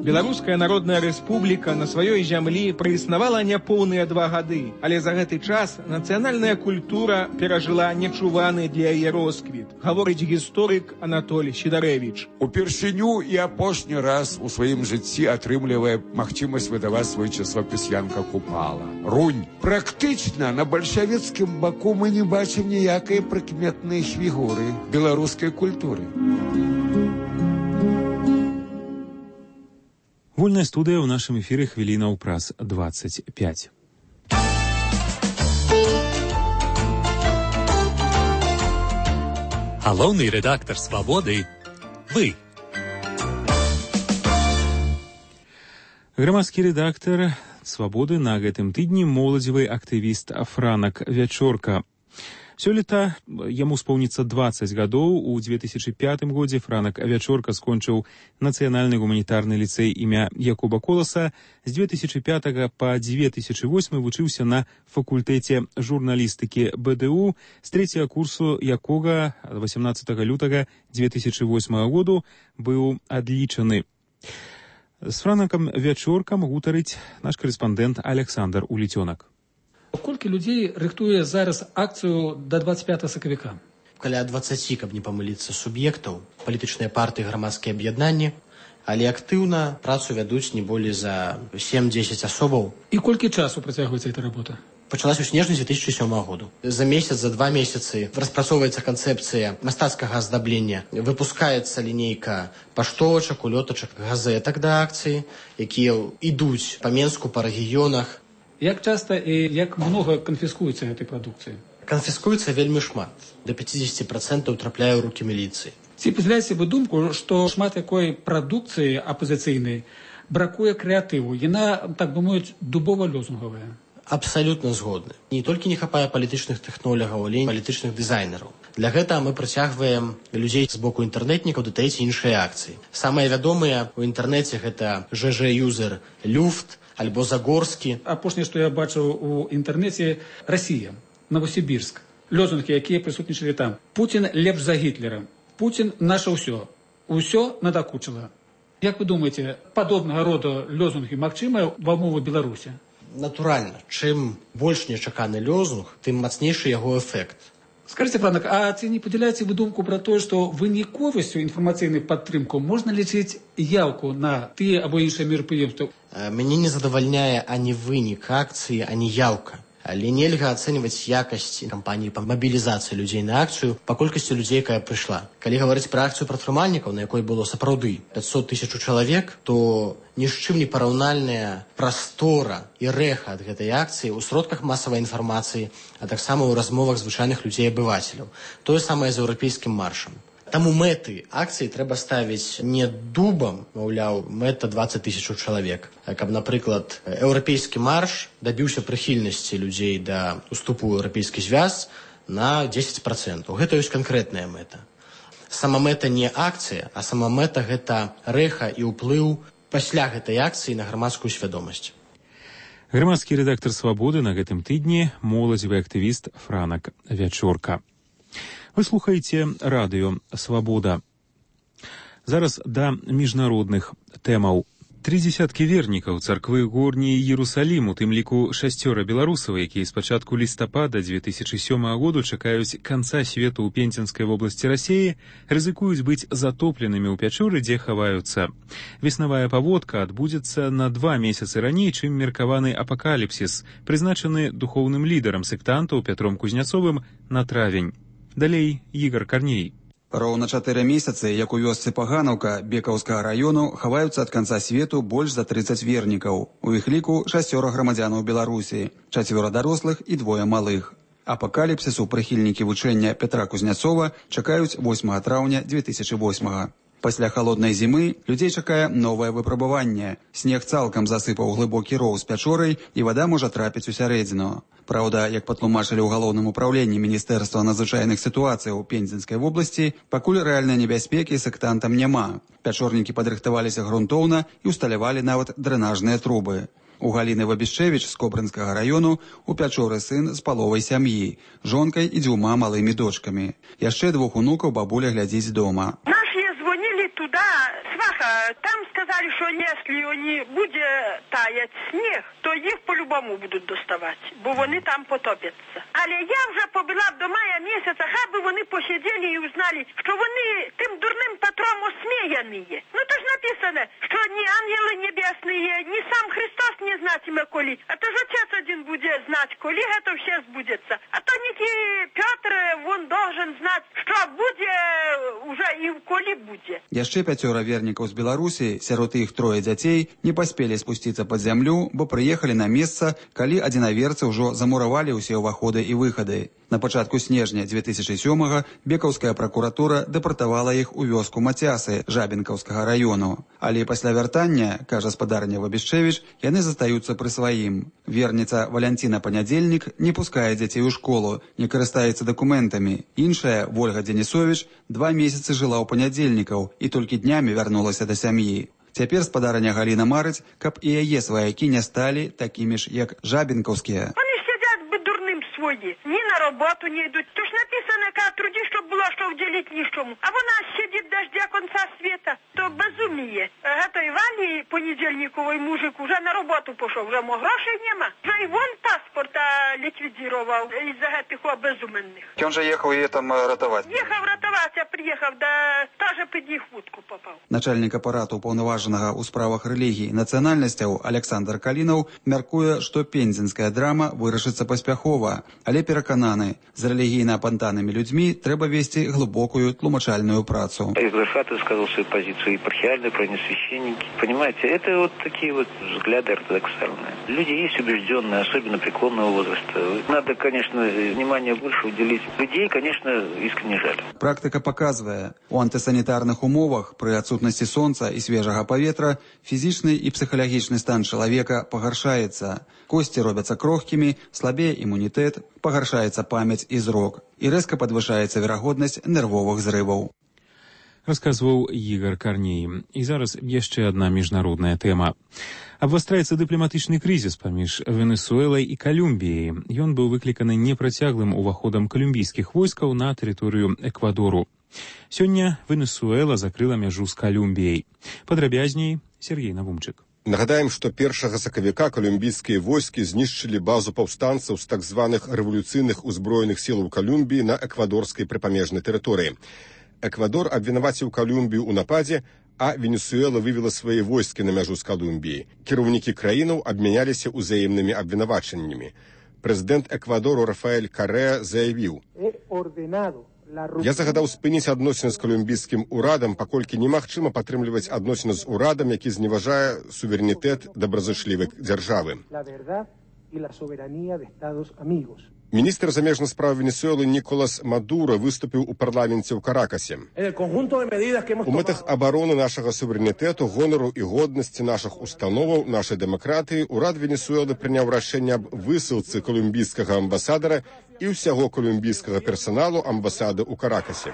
Speaker 19: Беларуская народная рэспубліка на сваёй зямлі праіснавала няпоўныя два гады, але за гэты час нацыянальная культура перажыла нечуваны для яе росквіт, гаворыць гісторык Анатоль Сідарэвіч.
Speaker 20: Упершыню і апошні раз у сваім жыцці атрымлівае магчымасць выдаваць свой часопіс Янка Купала. Рунь. Практычна на бальшавіцкім баку мы не бачым ніякай прыкметнай фігуры беларускай культуры.
Speaker 1: Вольная студыя ў нашым эфіры хвілінаў праз двадцать пять.
Speaker 21: Галоўны рэдактар «Свабоды» – вы.
Speaker 1: Грамадскі рэдактар «Свабоды» на гэтым тыдні моладзевы актывіст Франак Вячорка. Сёлета яму споўніцца двадцать гадоў. У две тысячи пятым годзе Франак Вячорка скончыў нацыянальны гуманітарны ліцэй імя Якуба Коласа. З две тысячи пятага па две тысячи восьмы вучыўся на факультэце журналістыкі БДУ, з трэцяга курсу якога восемнадцатага лютага две тысячи восьмага году быў адлічаны. З Франакам Вячоркам гутарыць наш карэспандэнт Александр Уліцёнак.
Speaker 22: Колькі людзей рыхтуе зараз акцыю да двадцать пятага сакавіка?
Speaker 23: Каля двадцаці, каб не памыліцца, суб'ектаў, палітычныя партыі, грамадскія аб'яднанні, але актыўна працу вядуць не болей за сем-дзесяць асобаў.
Speaker 22: І колькі часу працягваецца эта работа?
Speaker 23: Пачалась у снежні две тысячи сёмага году. За месяц, за два месяцы распрацоўваецца канцэпцыя мастацкага аздаблення, выпускаецца лінейка паштовачак, улётачак, газетак да акцыі, якія ідуць па Менску, па рэгіёнах.
Speaker 22: Як часта і як многа канфіскуецца гэтай прадукцыі?
Speaker 23: Канфіскуецца вельмі шмат. Да пятьдесят процентов трапляе ў рукі міліцыі.
Speaker 22: Ці падзяляеце вы думку, што шмат якой прадукцыі апазіцыйнай бракуе крэатыву? Яна, так бы мовіць, дубова-лёзунгавая.
Speaker 23: Абсалютна згодны. Не толькі не хапае палітычных тэхнолагаў, але і палітычных дызайнераў. Для гэтага мы прыцягваем людзей з боку інтэрнэтнікаў да трэцяй іншыя акцыі. Самыя вядомыя ў інтэрнэце гэта ЖЖ-юзер Люфт, альбо Загорскі.
Speaker 22: Апошняе, што я бачыў у інтэрнэце, Расія, Новосібірск. Лёзунгі, якія прысутнічалі там. Пуцін лепш за Гітлера. Пуцін наша ўсё. Усё надакучыла. Як вы думаеце, падобнага роду лёзунгі магчымыя ва ўмовах Беларусі?
Speaker 23: Натуральна. Чым больш нечаканы лёзунг, тым мацнейшы яго эфект.
Speaker 22: Скажите, Франак, а ці не падзяляеце вы думку пра тое, што выніковасцю інфармацыйнай падтрымку можна лічыць яўку на тыя або іншыя мерапрыемствы?
Speaker 23: Мяне не задавальняе ані вынік акцыі, ані яўка. Але нельга ацэньваць якасць кампаніі па мабілізацыі людзей на акцыю па колькасці людзей, якая прыйшла. Калі гаварыць пра акцыю прадпрымальнікаў, на якой было сапраўды пятьсот тысяч чалавек, то ні з чым не параўнальная прастора і рэха ад гэтай акцыі ў сродках масавай інфармацыі, а таксама ў размовах звычайных людзей-абывацеляў. Тое самае з еўрапейскім маршам. Таму мэты акцыі трэба ставіць не дубам, маўляў, мэта двадцать тысяч чалавек. Каб, напрыклад, еўрапейскі марш дабіўся прыхільнасці людзей да уступу ў еўрапейскі звяз на десять процентов. Гэта ёсць канкрэтная мэта. Сама мэта не акцыя, а сама мэта гэта рэха і ўплыў пасля гэтай акцыі на грамадскую свядомасць.
Speaker 1: Грамадскі рэдактар «Свабоды» на гэтым тыдні моладзевы актывіст Франак Вячорка. Вы слухаеце радыё «Свабода». Зараз да міжнародных тэмаў. Тры дзесяткі вернікаў царквы горні Іерусалім, у тым ліку шасцёра беларусаў, якія з пачатку лістапада две тысячы сёмага году чакаюць канца свету ў Пензенскай вобласці Расіі, рызыкуюць быць затопленымі ў пячоры, дзе хаваюцца. Веснавая паводка адбудзецца на два месяцы раней, чым меркаваны апакаліпсіс, прызначаны духоўным лідарам сектантаў Пятром Кузняцовым на травень. Далей Ігар Карней.
Speaker 2: Роўна чатыры месяцы, як у вёсцы Паганаўка Бекаўскага раёну, хаваюцца ад канца свету больш за трыццаць вернікаў. У іх ліку шасцёра грамадзянаў Беларусі, чацвёра дарослых і двое малых. Апакаліпсісу прыхільнікі вучэння Пятра Кузняцова чакаюць восьмага траўня две тысячы восьмага. Пасля халоднай зімы людзей чакае новае выпрабаванне. Снег цалкам засыпаў глыбокі роў з пячорай, і вада можа трапіць у сярэдзіну. Праўда, як патлумачылі ў галоўным управленні Міністэрства надзвычайных сітуацый у Пензенскай вобласці, пакуль рэальнай небяспекі сектантам няма. Пячорнікі падрыхтаваліся грунтоўна і ўсталявалі нават дрэнажныя трубы. У Галіны Вабішчэвіч з Кобрынскага раёну у пячоры сын з паловай сям'і, жонкай і дзвюма малымі дочкамі. Яшчэ двух унукаў бабуля глядзіць дома.
Speaker 5: Туда, сваха, там сказали, что если не будет таять снег, то их по-любому будут доставать, бо вони там потопятся. Але я вже побила до мая місяця, хай би вони посиділи і узнали, що вони тим дурним Петром осміяні. Ну то ж написано, що ні ангели небесні, ні сам Христос не знатиме коли, а то ж Отець один буде знати, коли це все збудеться. А то ніки Петр, він должен знати, що буде уже і коли буде.
Speaker 2: Яшчэ пяцёра вернікаў з Беларусі, сярод іх трое дзяцей, не паспелі спусціцца пад зямлю, бо прыехалі на месца, калі адзінаверцы ўжо замуравалі ўсе ўваходы і выхады. На пачатку снежня две тысячы сёмага Бекаўская пракуратура дэпартавала іх у вёску Мацясы Жабінкаўскага раёну. Але пасля вяртання, кажа спадарня Вабішчэвіч, яны застаюцца пры сваім. Верніца Валянціна Панядзельнік не пускае дзяцей у школу, не карыстаецца дакументамі. Іншая, Вольга Денісовіч, два месяцы жыла ў панядзельнікаў і толькі днямі вярнулася да сям'і. Цяпер спадарня Галіна марыць, каб і яе сваякі не сталі такімі ж, як жабінкаўскія.
Speaker 5: Ні на роботу не йдуть. Тож написано, яка труді, щоб було що вділити нічому. А вона сидить дождя конца світа. То безуміє. Гато Івані, понедільниковий мужик, уже на роботу пішов. Вже мо грошей нема. Вже і вон паспорта ліквідував із-за гэтих безуменних.
Speaker 2: Він же їхав її там рятувати?
Speaker 5: Їхав рятувати, а приїхав, да теж під їх вудку попав.
Speaker 2: Начальник апарату уповноваженого у справах рэлігій нацыянальнасцяў Александр Калінаў мяркуе, што пензенская драма вырашыцца паспяхова. Але перакананы, з рэлігійна-апантанымі людзьмі трэба весці глыбокую тлумачальную працу.
Speaker 6: Экзархат высказал свою позицию, епархиальные, священники. Понимаете, это вот такие вот взгляды ортодоксальные. Люди есть убежденные, особенно преклонного возраста. Надо, конечно, внимание больше уделить. Людей, конечно, искренне жаль.
Speaker 2: Практыка паказвае, у антысанітарных умовах пры адсутнасці сонца і свежага паветра фізічны і псіхалагічны стан чалавека пагаршаецца. Косці робяцца крохкімі, слабее імунітэт, пагаршаецца памяць і зрок, і рэзка падвышаецца верагоднасць нервовых зрываў.
Speaker 1: Расказваў Ігар Карней. І зараз яшчэ адна міжнародная тэма. Абвастраецца дыпламатычны крызіс паміж Венесуэлай і Калумбіяй. Ён быў выкліканы непрацяглым уваходам калумбійскіх войскаў на тэрыторыю Эквадору. Сёння Венесуэла закрыла мяжу з Калумбіяй. Падрабязней Сергей Навумчык.
Speaker 24: Нагадаем, што першага сакавіка калумбійскія войскі знішчылі базу паўстанцаў з так званых рэвалюцыйных узброеных сілаў Калумбіі на эквадорскай прыпамежнай тэрыторыі. Эквадор абвінаваціў Калумбію ў нападзе, а Венесуэла вывела свае войскі на мяжу з Калумбіяй. Кіраўнікі краінаў абмяняліся ўзаемнымі абвінавачаннямі. Прэзідэнт Эквадору Рафаэль Карэа заявіў: «Я загадаў спыніць адносіны з калумбійскім урадам, паколькі немагчыма падтрымліваць адносіны з урадам, які зневажае суверэнітэт добразычлівай дзяржавы». Міністр замежных справ Венесуэлы Ніколас Мадура выступіў у парламенце ў Каракасе. У мэтах абароны нашага суверэнітэту, гонару і годнасці нашых установаў, нашай дэмакратыі, урад Венесуэлы прыняў рашэнне аб высылцы калумбійскага амбасадара і ўсяго калумбійскага персаналу амбасады ў Каракасе.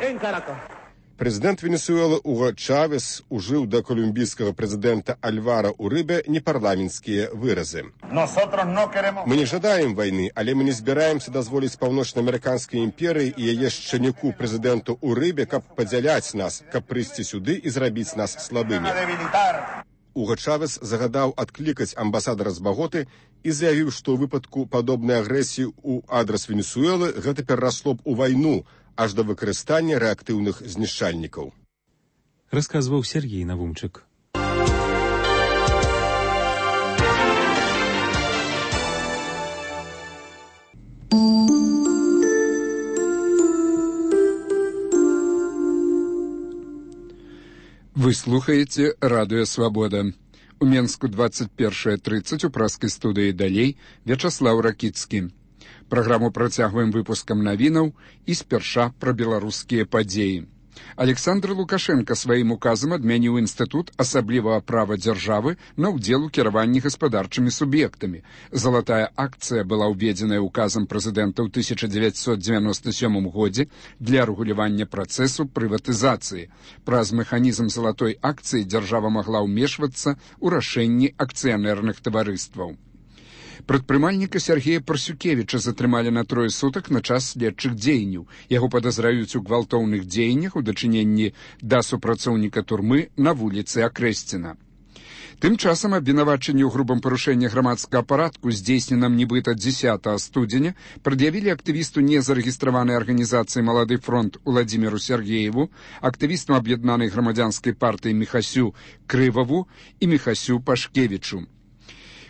Speaker 24: Прэзідэнт Венесуэлы Уго Чавес ужыў да колумбійскага прэзідэнта Альвара Урыбе непарламенцкія выразы. Мы не жадаем вайны, але мы не збіраемся дазволіць паўночна-амерыканскай імперыі і яе шчанюку прэзідэнту Урыбе, каб падзяляць нас, каб прыйсці сюды і зрабіць нас слабымі. Уго Чавес загадаў адклікаць амбасадара з Баготы і заявіў, што ў выпадку падобнай агрэсіі ў адрас Венесуэлы гэта перарасло б у вайну, аж да выкарыстання рэактыўных знішчальнікаў.
Speaker 1: Расказваў Сергей Навумчык.
Speaker 8: Вы слухаеце радыё «Свабода». У Менску двадцать первое тридцать у праскай студыі «Далей» Вячаслаў Ракіцкі. Праграму працягваем выпускам навінаў і спярша пра беларускія падзеі. Александр Лукашенко сваім указам адмяніў інстытут асаблівага права дзяржавы на ўдзел у кіраванні гаспадарчымі суб'ектамі. Залатая акцыя была ўведзеная указам прэзідэнта ў тысяча дзевяцьсот дзевяноста сёмым годзе для рэгулявання працэсу прыватызацыі. Праз механізм залатой акцыі дзяржава магла ўмешвацца ў рашэнні акцыянерных таварыстваў. Прадпрымальніка Сергея Парсюкевіча затрымалі на трое сутак на час следчых дзеянняў. Яго падазраюць у гвалтоўных дзеяннях у дачыненні да супрацоўніка турмы на вуліцы Акрэсціна. Тым часам абвінавачанне ў грубым парушэнні грамадскага парадку, здзейсненым нібыта дзесятага студзеня, прад'явілі актывісту незарэгістраванай арганізацыі «Малады фронт» Уладзіміру Сергееву, актывістам аб'яднанай грамадзянскай партыі Міхасю Крываву і Міхасю Пашкевічу.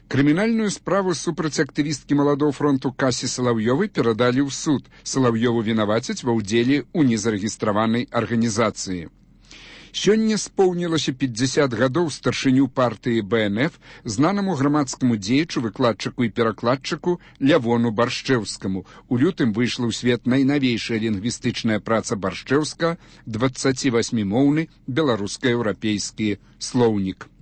Speaker 8: Крымінальную справу супраць актывісткі «Маладого фронту» Касі Салаўёвай перадалі ў суд. Салаўёву вінавацяць ва ўдзеле ў незарэгістраванай арганізацыі. Сёння споўнілася пятьдесят гадоў старшыню партыі Бэ Эн Эф, знанаму грамадскаму дзеячу, выкладчыку і перакладчыку Лявону Баршчэўскаму. У лютым выйшла ў свет найнавейшая лінгвістычная праца Баршчэўска дваццацівасьмімоўны беларуска-еўрапейскі слоўнік.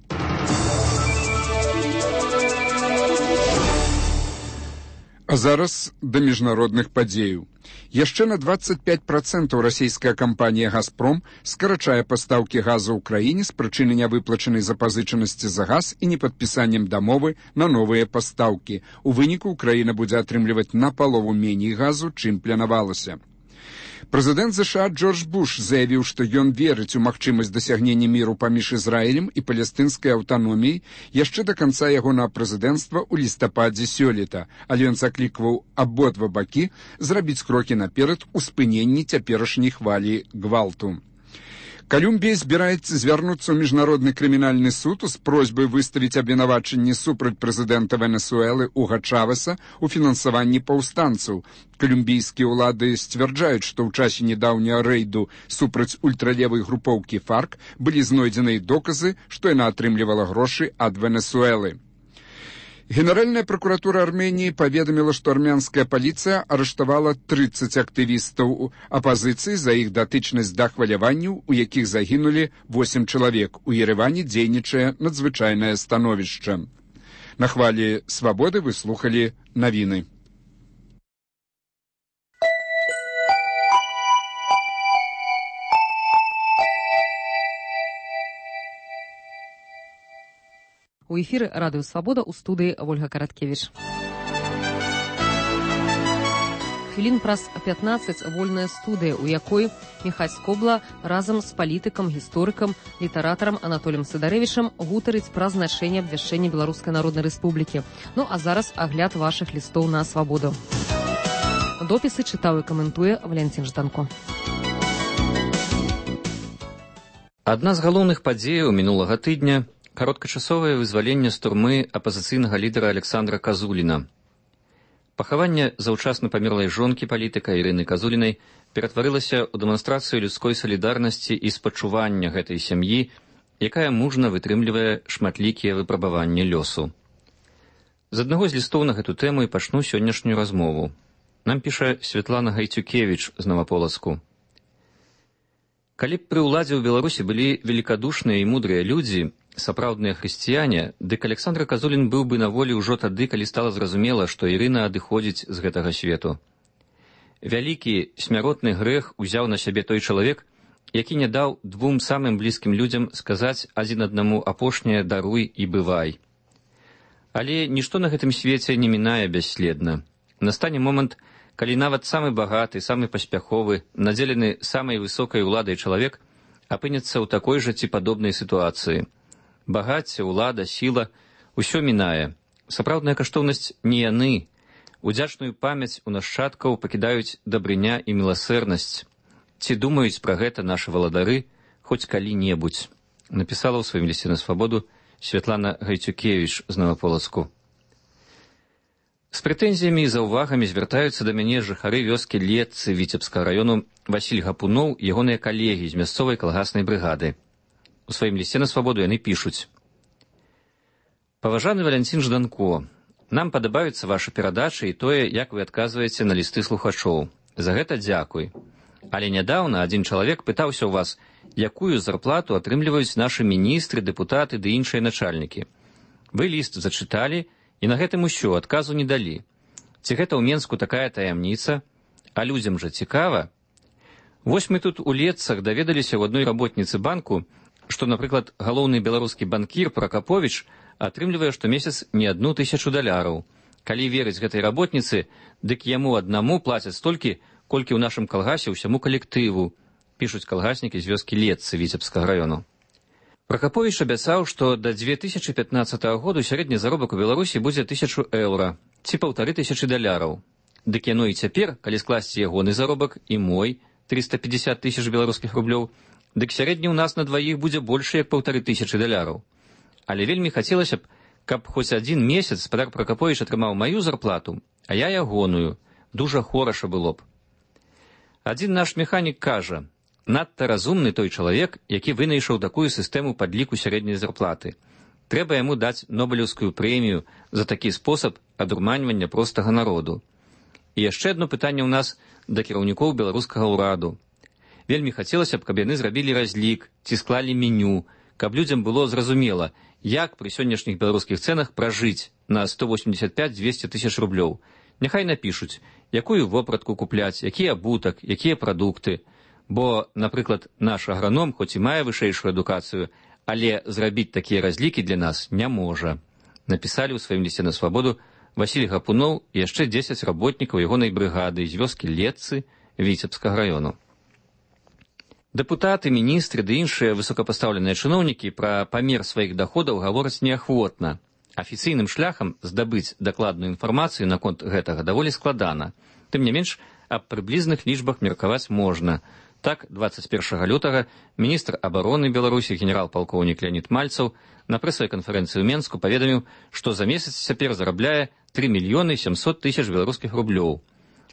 Speaker 8: А зараз да міжнародных падзеяў. Яшчэ на двадцать пять процентаў расійская кампанія «Газпром» скарачае пастаўкі газу ў краіне з прычыны нявыплачанай запазычанасці за газ і непадпісаннем дамовы на новыя пастаўкі. У выніку краіна будзе атрымліваць напалову меней газу, чым планавалася. Прэзідэнт ЗША Джордж Буш заявіў, што ён верыць у магчымасць дасягнення міру паміж Ізраілем і палестынскай аўтаноміяй яшчэ да канца ягонага прэзідэнцтва ў лістападзе сёлета, але ён заклікваў абодва бакі зрабіць крокі наперад у спыненні цяперашняй хвалі гвалту. Колумбія збіраецца звярнуцца ў міжнародны крымінальны суд з просьбай выставіць абвінавачанні супраць прэзідэнта Венесуэлы Уго Чавеса у фінансаванні паўстанцаў. Колумбійскія ўлады сцвярджаюць, што ў часе нядаўняга рэйду супраць ультралевай групоўкі ФАРК былі знойдзеныя доказы, што яна атрымлівала грошы ад Венесуэлы. Генеральная прокуратура Армении паведаміла, што армянская паліцыя арыштавала тридцать актывістаў апазіцыі за іх датычнасць да хваляванняў, у якіх загінулі восемь чалавек. У Ереване дзейнічае надзвычайнае становішча. На хвалі «Свабоды» вы слухалі навіны.
Speaker 9: У эфіры радыё «Свабода» у студыі Вольга Караткевіч. Хвілін праз пятнаццаць вольная студыя, у якой Міхась Скобла разам з палітыкам, гісторыкам, літаратарам Анатоліем Сыдарэвічам гутарыць пра значэнне абвяшчэння Беларускай Народнай Рэспублікі. Ну а зараз агляд вашых лістоў на «Свабоду». Допісы чытаў і каментуе Валянцін Жданко.
Speaker 10: Адна з галоўных падзеяў мінулага тыдня – кароткачасовае вызваленне з турмы апазіцыйнага лідара Александра Казуліна. Пахаванне заўчасна памерлай жонкі палітыка Ірыны Казулінай ператварылася ў дэманстрацыю людской салідарнасці і спачування гэтай сям'і, якая мужна вытрымлівае шматлікія выпрабаванні лёсу. З аднаго з лістоў на гэту тэму і пачну сённяшнюю размову. Нам піша Святлана Гайцюкевіч з Наваполацку. Калі б пры ўладзе ў Беларусі былі великадушныя і мудрыя людзі, сапраўдныя хрысціяне, дык Александр Казулін быў бы на волі ўжо тады, калі стала зразумела, што Ірына адыходзіць з гэтага свету. Вялікі смяротны грэх узяў на сябе той чалавек, які не даў двум самым блізкім людзям сказаць адзін аднаму апошняе «даруй і бывай». Але нішто на гэтым свеце не мінае бясследна. Настане момант, калі нават самы багаты, самы паспяховы, надзелены самай высокай уладай чалавек апынецца ў такой жа ці падобнай сітуацыі. Багацце, улада, сіла – усё мінае. Сапраўдная каштоўнасць не яны. Удзячную памяць у нашчадкаў пакідаюць дабрыня і міласэрнасць. Ці думаюць пра гэта нашы валадары хоць калі-небудзь? Напісала ў сваім лісце на свабоду Святлана Гайцюкевіч з Новаполацку. З прэтэнзіямі і заўвагамі звяртаюцца да мяне жыхары вёскі Летцы Віцебскага раёну Васіль Гапуноў і ягоныя калегі з мясцовай калгаснай брыгады. У сваім лісце на свабоду яны пішуць: «Паважаны Валянцін Жданко, нам падабаюцца вашы перадачы і тое, як вы адказваеце на лісты слухачоў. За гэта дзякуй. Але нядаўна адзін чалавек пытаўся ў вас, якую зарплату атрымліваюць нашы міністры, дэпутаты ды іншыя начальнікі. Вы ліст зачыталі, і на гэтым усё, адказу не далі. Ці гэта ў Менску такая таямніца? А людзям жа цікава. Вось мы тут у Летцах даведаліся ў адной работніцы банку, што, напрыклад, галоўны беларускі банкір Пракаповіч атрымлівае штомесяц не адну тысячу даляраў. Калі верыць гэтай работніцы, дык яму аднаму плацяць столькі, колькі ў нашым калгасе ўсяму калектыву, пішуць калгаснікі з вёскі Летцы Віцебскага раёну. Пракаповіч абяцаў, што да дзве тысячы пятнаццатага году сярэдні заробак у Беларусі будзе тысячу еўра, ці паўтары тысячы даляраў. Дык яно і цяпер, калі скласці ягоны заробак і мой, трыста пятьдесят тысяч беларускіх рублёў, дык сярэдні ў нас на дваіх будзе больш як паўтары тысячы даляраў. Але вельмі хацелася б, каб хоць адзін месяц спадар Пракаповіч атрымаў маю зарплату, а я ягоную. Дужа хораша было б. Адзін наш механік кажа: надта разумны той чалавек, які вынайшаў такую сістэму падліку сярэдняй зарплаты. Трэба яму даць нобелеўскую прэмію за такі спосаб адурманьвання простага народу. І яшчэ адно пытанне ў нас да кіраўнікоў беларускага ўраду. Вельмі хацелася б, каб яны зрабілі разлік ці склалі меню, каб людзям было зразумела, як пры сённяшніх беларускіх цэнах пражыць на сто восемьдесят пять - двести тысяч рублёў. Няхай напішуць, якую вопратку купляць, які абутак, якія прадукты. Бо, напрыклад, наш аграном, хоць і мае вышэйшую адукацыю, але зрабіць такія разлікі для нас не можа. Напісалі ў сваім лісце на свабоду Васіль Гапуноў і яшчэ дзесяць работнікаў ягонай брыгады з вёскі Летцы Віцебскага раёну. Дэпутаты, міністры ды іншыя высокапастаўленыя чыноўнікі пра памер сваіх даходаў гавораць неахвотна. Афіцыйным шляхам здабыць дакладную інфармацыю наконт гэтага даволі складана. Тым не менш, аб прыблізных лічбах меркаваць можна. Так, двадцать першага лютага міністр абароны Беларусі генерал-палкоўнік Леонід Мальцаў на прэсавай канферэнцыі ў Менску паведаміў, што за месяц цяпер зарабляе тры мільёны сямсот тысяч беларускіх рублёў.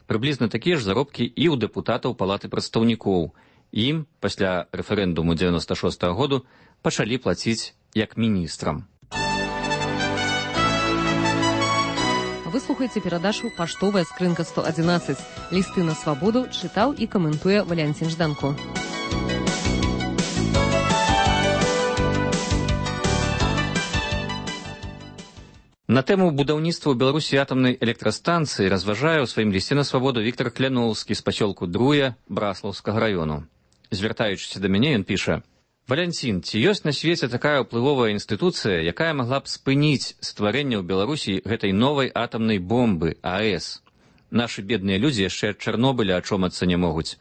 Speaker 10: Прыблізна такія ж заробкі і ў дэпутатаў палаты прадстаўнікоў. Ім пасля рэферэндуму дзевяноста шостага году пачалі плаціць як міністрам.
Speaker 9: Вы слухаеце перадачу «Паштовая скрынка сто адзінаццаць». Лісты на свабоду чытаў і каментуе Валянцін Жданко.
Speaker 10: На тэму будаўніцтва ў Беларусі атамнай электрастанцыі разважае ў сваім лісце на свабоду Віктор Кляноўскі з пасёлку Друя Браслаўскага раёну. Звяртаючыся да мяне, ён піша: «Валянцін, ці ёсць на свеце такая ўплывовая інстытуцыя, якая магла б спыніць стварэнне ў Беларусі гэтай новай атамнай бомбы А Э С? Нашы бедныя людзі яшчэ ад Чарнобыля ачомацца не могуць.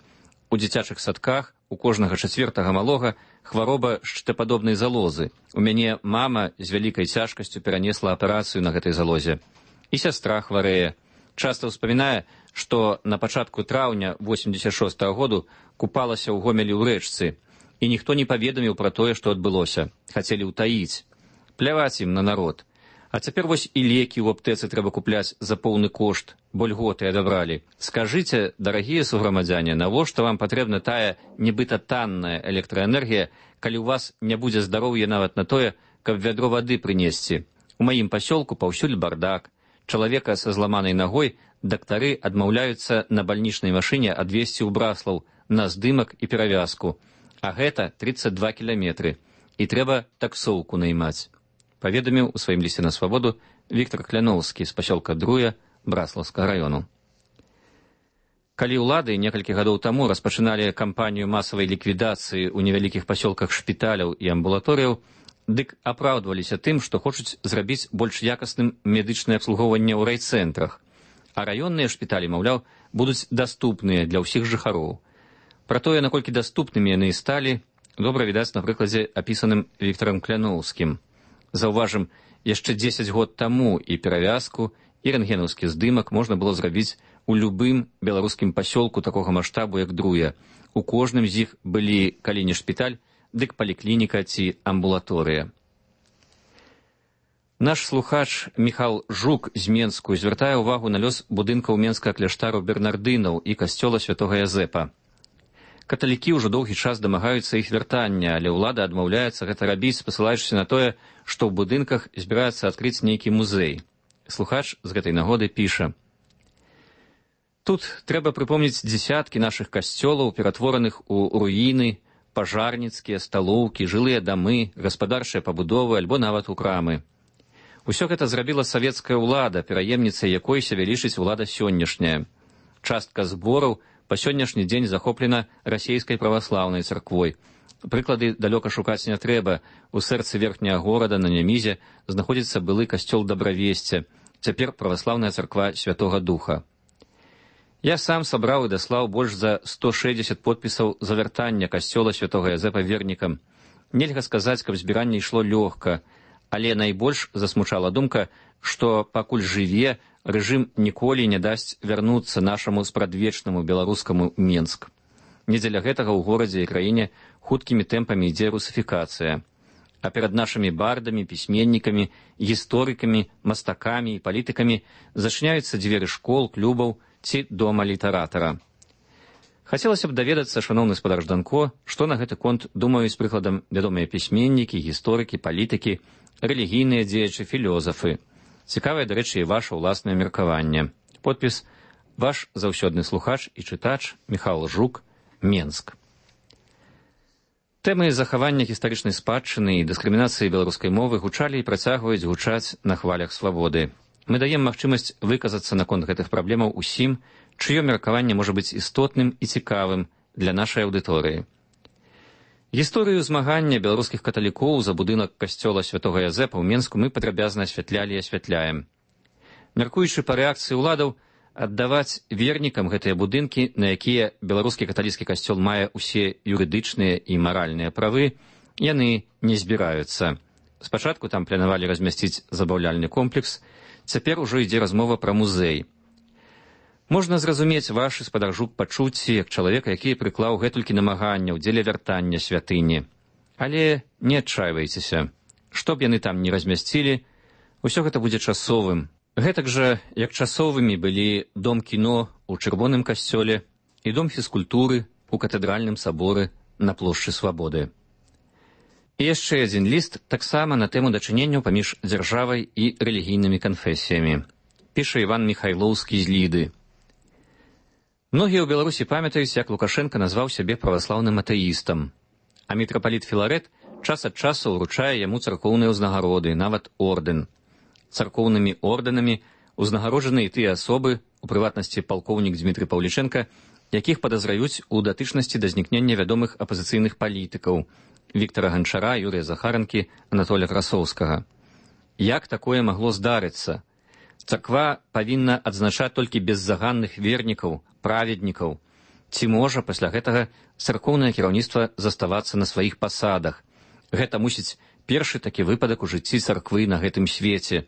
Speaker 10: У дзіцячых садках у кожнага чацвертага малога хвароба шчытападобнай залозы. У мяне мама з вялікай цяжкасцю перанесла аперацыю на гэтай залозе. І сястра хварэе. Часта ўспамінае, што на пачатку траўня восемьдесят шостага году купалася ў Гомелі ў рэчцы, і ніхто не паведаміў пра тое, што адбылося. Хацелі ўтаіць. Пляваць ім на народ. А цяпер вось і лекі ў аптэцы трэба купляць за поўны кошт, бо льготы адабралі. Скажыце, дарагія суграмадзяне, навошта вам патрэбна тая нібыта танная электраэнергія, калі ў вас не будзе здароўя нават на тое, каб вядро вады прынесці? У маім пасёлку паўсюль бардак. Чалавека са зламанай нагой дактары адмаўляюцца на бальнічнай машыне адвезці ў Браслаў на здымак і перавязку. А гэта тридцать два кіламетры. І трэба таксоўку наймаць. Паведаміў у сваім лісце на свабоду Віктор Кляноўскі з пасёлка Друя Браслаўскага раёну. Калі ўлады некалькі гадоў таму распачыналі кампанію масавай ліквідацыі ў невялікіх пасёлках шпіталяў і амбулаторыяў, дык апраўдваліся тым, што хочуць зрабіць больш якасным медычнае абслугоўванне ў райцэнтрах, а раённыя шпіталі, маўляў, будуць даступныя для ўсіх жыхароў. Пра тое, наколькі даступнымі яны сталі, добра відаць на прыкладзе, апісаным Віктарам Кляноўскім. Заўважым, яшчэ дзесяць год таму і перавязку, і рэнтгенаўскі здымак можна было зрабіць у любым беларускім пасёлку такога маштабу, як Друя. У кожным з іх былі, калі не шпіталь, дык паліклініка ці амбулаторыя. Наш слухач Міхал Жук з Менску звяртае ўвагу на лёс будынкаў менскага кляштару бернардынаў і касцёла святога Язэпа. Каталікі ўжо доўгі час дамагаюцца іх вяртання, але ўлада адмаўляецца гэта рабіць, спасылаючыся на тое, што ў будынках збіраецца адкрыць нейкі музей. Слухач з гэтай нагоды піша: «Тут трэба прыпомніць дзесяткі нашых касцёлаў, ператвораных у руіны, пажарніцкія, сталоўкі, жылыя дамы, гаспадарчыя пабудовы альбо нават у крамы. Усё гэта зрабіла савецкая ўлада, пераемніцай якой сябе лічыць улада сённяшняя. Частка збораў па сённяшні дзень захоплена расейскай праваслаўнай царквой. Прыклады далёка шукаць не трэба. У сэрцы верхняга горада на Нямізе знаходзіцца былы касцёл Дабравесця, цяпер праваслаўная царква Святога Духа. Я сам сабраў і даслаў больш за сто шэсцьдзесят подпісаў за вяртання касцёла святога Язэпа вернікам. Нельга сказаць, каб збіранне ішло лёгка, але найбольш засмучала думка, што пакуль жыве, рэжым ніколі не дасць вярнуцца нашаму спрадвечнаму беларускаму Менск. Не дзеля гэтага ў горадзе і краіне хуткімі тэмпамі ідзе русіфікацыя. А перад нашымі бардамі, пісьменнікамі, гісторыкамі, мастакамі і палітыкамі зачыняюцца дзверы школ, клубаў ці дома літаратара. Хацелася б даведацца, шаноўны спадар Жданко, што на гэты конт думаюць прыкладам вядомыя пісьменнікі, гісторыкі, палітыкі, рэлігійныя дзеячы, філёзафы. Цікавае, дарэчы, і ваша ўласнае меркаванне. Подпіс: ваш заўсёдны слухач і чытач Міхал Жук, Менск. Тэмы захавання гістарычнай спадчыны і дыскрымінацыі беларускай мовы гучалі і працягваюць гучаць на хвалях свабоды. Мы даем магчымасць выказацца наконт гэтых праблемаў усім, чыё меркаванне можа быць істотным і цікавым для нашай аўдыторыі. Гісторыю змагання беларускіх каталікоў за будынак касцёла святога Язэпа ў Менску мы падрабязна асвятлялі і асвятляем. Мяркуючы па рэакцыі ўладаў, аддаваць вернікам гэтыя будынкі, на якія беларускі каталіцкі касцёл мае ўсе юрыдычныя і маральныя правы, яны не збіраюцца. Спачатку там планавалі размясціць забаўляльны комплекс, цяпер ужо ідзе размова пра музей. Можна зразумець вашы, спадар Жук, пачуцці як чалавека, які прыклаў гэтулькі намаганняў дзеля вяртання святыні. Але не адчайвайцеся. Што б яны там не размясцілі, усё гэта будзе часовым. Гэтак жа, як часовымі былі дом кіно ў Чырвоным касцёле і дом фізкультуры ў катэдральным саборы на плошчы Свабоды. І яшчэ адзін ліст таксама на тэму дачыненняў паміж дзяржавай і рэлігійнымі канфесіямі. Піша Іван Міхайлоўскі з Ліды. Многія ў Беларусі памятаюць, як Лукашенка назваў сябе праваслаўным атэістам, а мітрапаліт Філарэт час ад часу ўручае яму царкоўныя ўзнагароды, нават ордэн. Царкоўнымі ордэнамі ўзнагароджаны і тыя асобы, у прыватнасці палкоўнік Дмітрый Паўлічэнка, якіх падазраюць у датычнасці да знікнення вядомых апазіцыйных палітыкаў Віктара Ганчара, Юрыя Захаранкі, Анатоля Красоўскага. Як такое магло здарыцца? Царква павінна адзначаць толькі беззаганных вернікаў, праведнікаў. Ці можа пасля гэтага царкоўнае кіраўніцтва заставацца на сваіх пасадах? Гэта мусіць першы такі выпадак у жыцці царквы на гэтым свеце.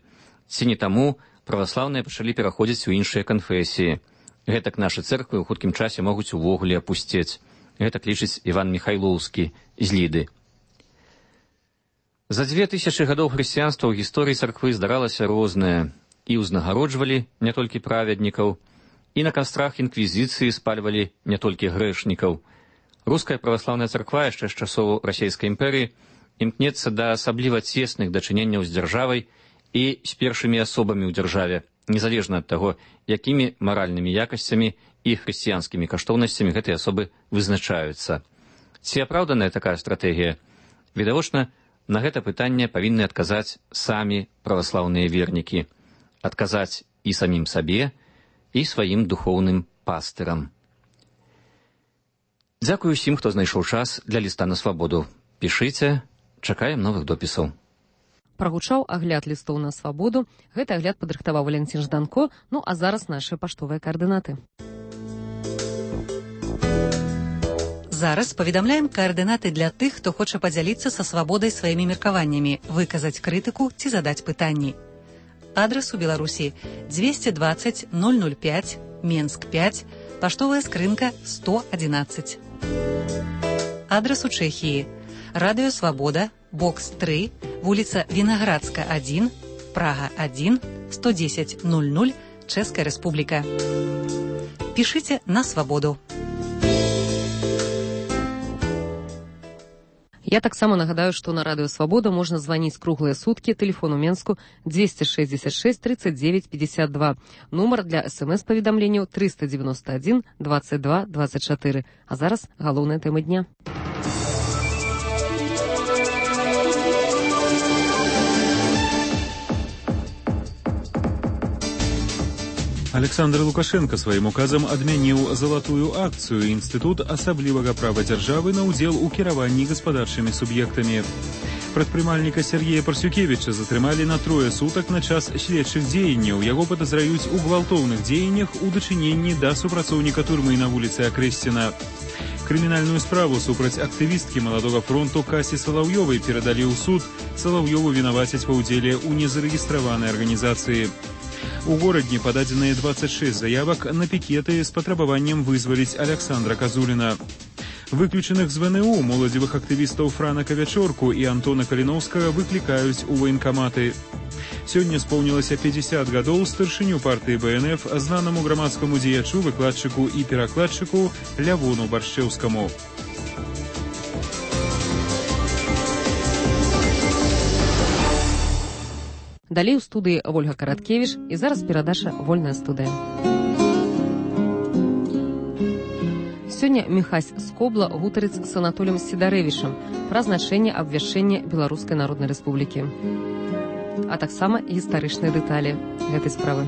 Speaker 10: Ці не таму праваслаўныя пачалі пераходзіць у іншыя канфесіі. Гэтак нашы цэрквы ў хуткім часе могуць увогуле апусцець. Гэтак лічыць Іван Міхайлоўскі з Ліды. За дзве тысячы гадоў хрысціянства ў гісторыі царквы здаралася рознае. І ўзнагароджвалі не толькі праведнікаў, і на кастрах інквізіцыі спальвалі не толькі грэшнікаў. Руская праваслаўная царква яшчэ з часоў расейскай імперыі імкнецца да асабліва цесных дачыненняў з дзяржавай і з першымі асобамі ў дзяржаве, незалежна ад таго, якімі маральнымі якасцямі і хрысціянскімі каштоўнасцямі гэтыя асобы вызначаюцца. Ці апраўданая такая стратэгія? Відавочна, на гэта пытанне павінны адказаць самі праваслаўныя вернікі. Адказаць і самім сабе, і сваім духоўным пастырам. Дзякую ўсім, хто знайшоў час для ліста на свабоду. Пішыце, чакаем новых допісаў.
Speaker 9: Прагучаў агляд лістоў на свабоду. Гэты агляд падрыхтаваў Валянцін Жданко. Ну а зараз нашы паштовыя каардынаты.
Speaker 7: Зараз паведамляем каардынаты для тых, хто хоча падзяліцца са свабодай сваімі меркаваннямі, выказаць крытыку ці задаць пытанні. Адрас у Беларусі двести двадцать ноль ноль пять, Менск пять, паштовая скрынка сто одиннадцать. Адрас у Чэхіі. Радыё Свабода, бокс три, вуліца Вінаградска один, Прага один, сто десять ноль ноль, Чэшская Рэспубліка. Пішыце на свабоду.
Speaker 9: Я таксама нагадаю, што на радыё Свабода можна званіць круглыя суткі, тэлефон у Менску двести шестьдесят шесть тридцать девять пятьдесят два, нумар для смс-паведамленняў триста девяносто один двадцать два двадцать четыре. А зараз галоўная тэма дня.
Speaker 1: Александр Лукашенко сваім указам адмяніў залатую акцыю інстытут асаблівага права дзяржавы на ўдзел у кіраванні гаспадарчымі суб'ектамі. Прадпрымальніка Сергея Парсюкевіча затрымалі на трое сутак на час следчых дзеянняў. Яго падазраюць у гвалтоўных дзеяннях у дачыненні да супрацоўніка турмы на вуліцы Акрэсціна. Крымінальную справу супраць актывісткі маладога фронту Касі Салаўёвай перадалі ў суд. Салаўёву вінавацяць ва ўдзеле ў незарэгістраванай арганізацыі. У горадні пададзеныя двадцать шесть заявак на пікеты з патрабаваннем вызваліць Александра Казуліна. Выключаных з ВНУ моладзевых актывістаў Франа Кавячорку і Антона Каліноўскага выклікаюць у ваенкаматы. Сёння споўнілася пятьдесят гадоў старшыню партыі БНФ, знанаму грамадскаму дзеячу, выкладчыку і перакладчыку Лявону Баршчэўскаму.
Speaker 9: Далей у студыі Вольга Караткевіч і зараз перадача «Вольная студыя». Сёння Міхась Скобла гутарыць з Анатолем Сідарэвічам пра значэнне абвяшчэння Беларускай Народнай Рэспублікі, а таксама гістарычныя дэталі гэтай справы.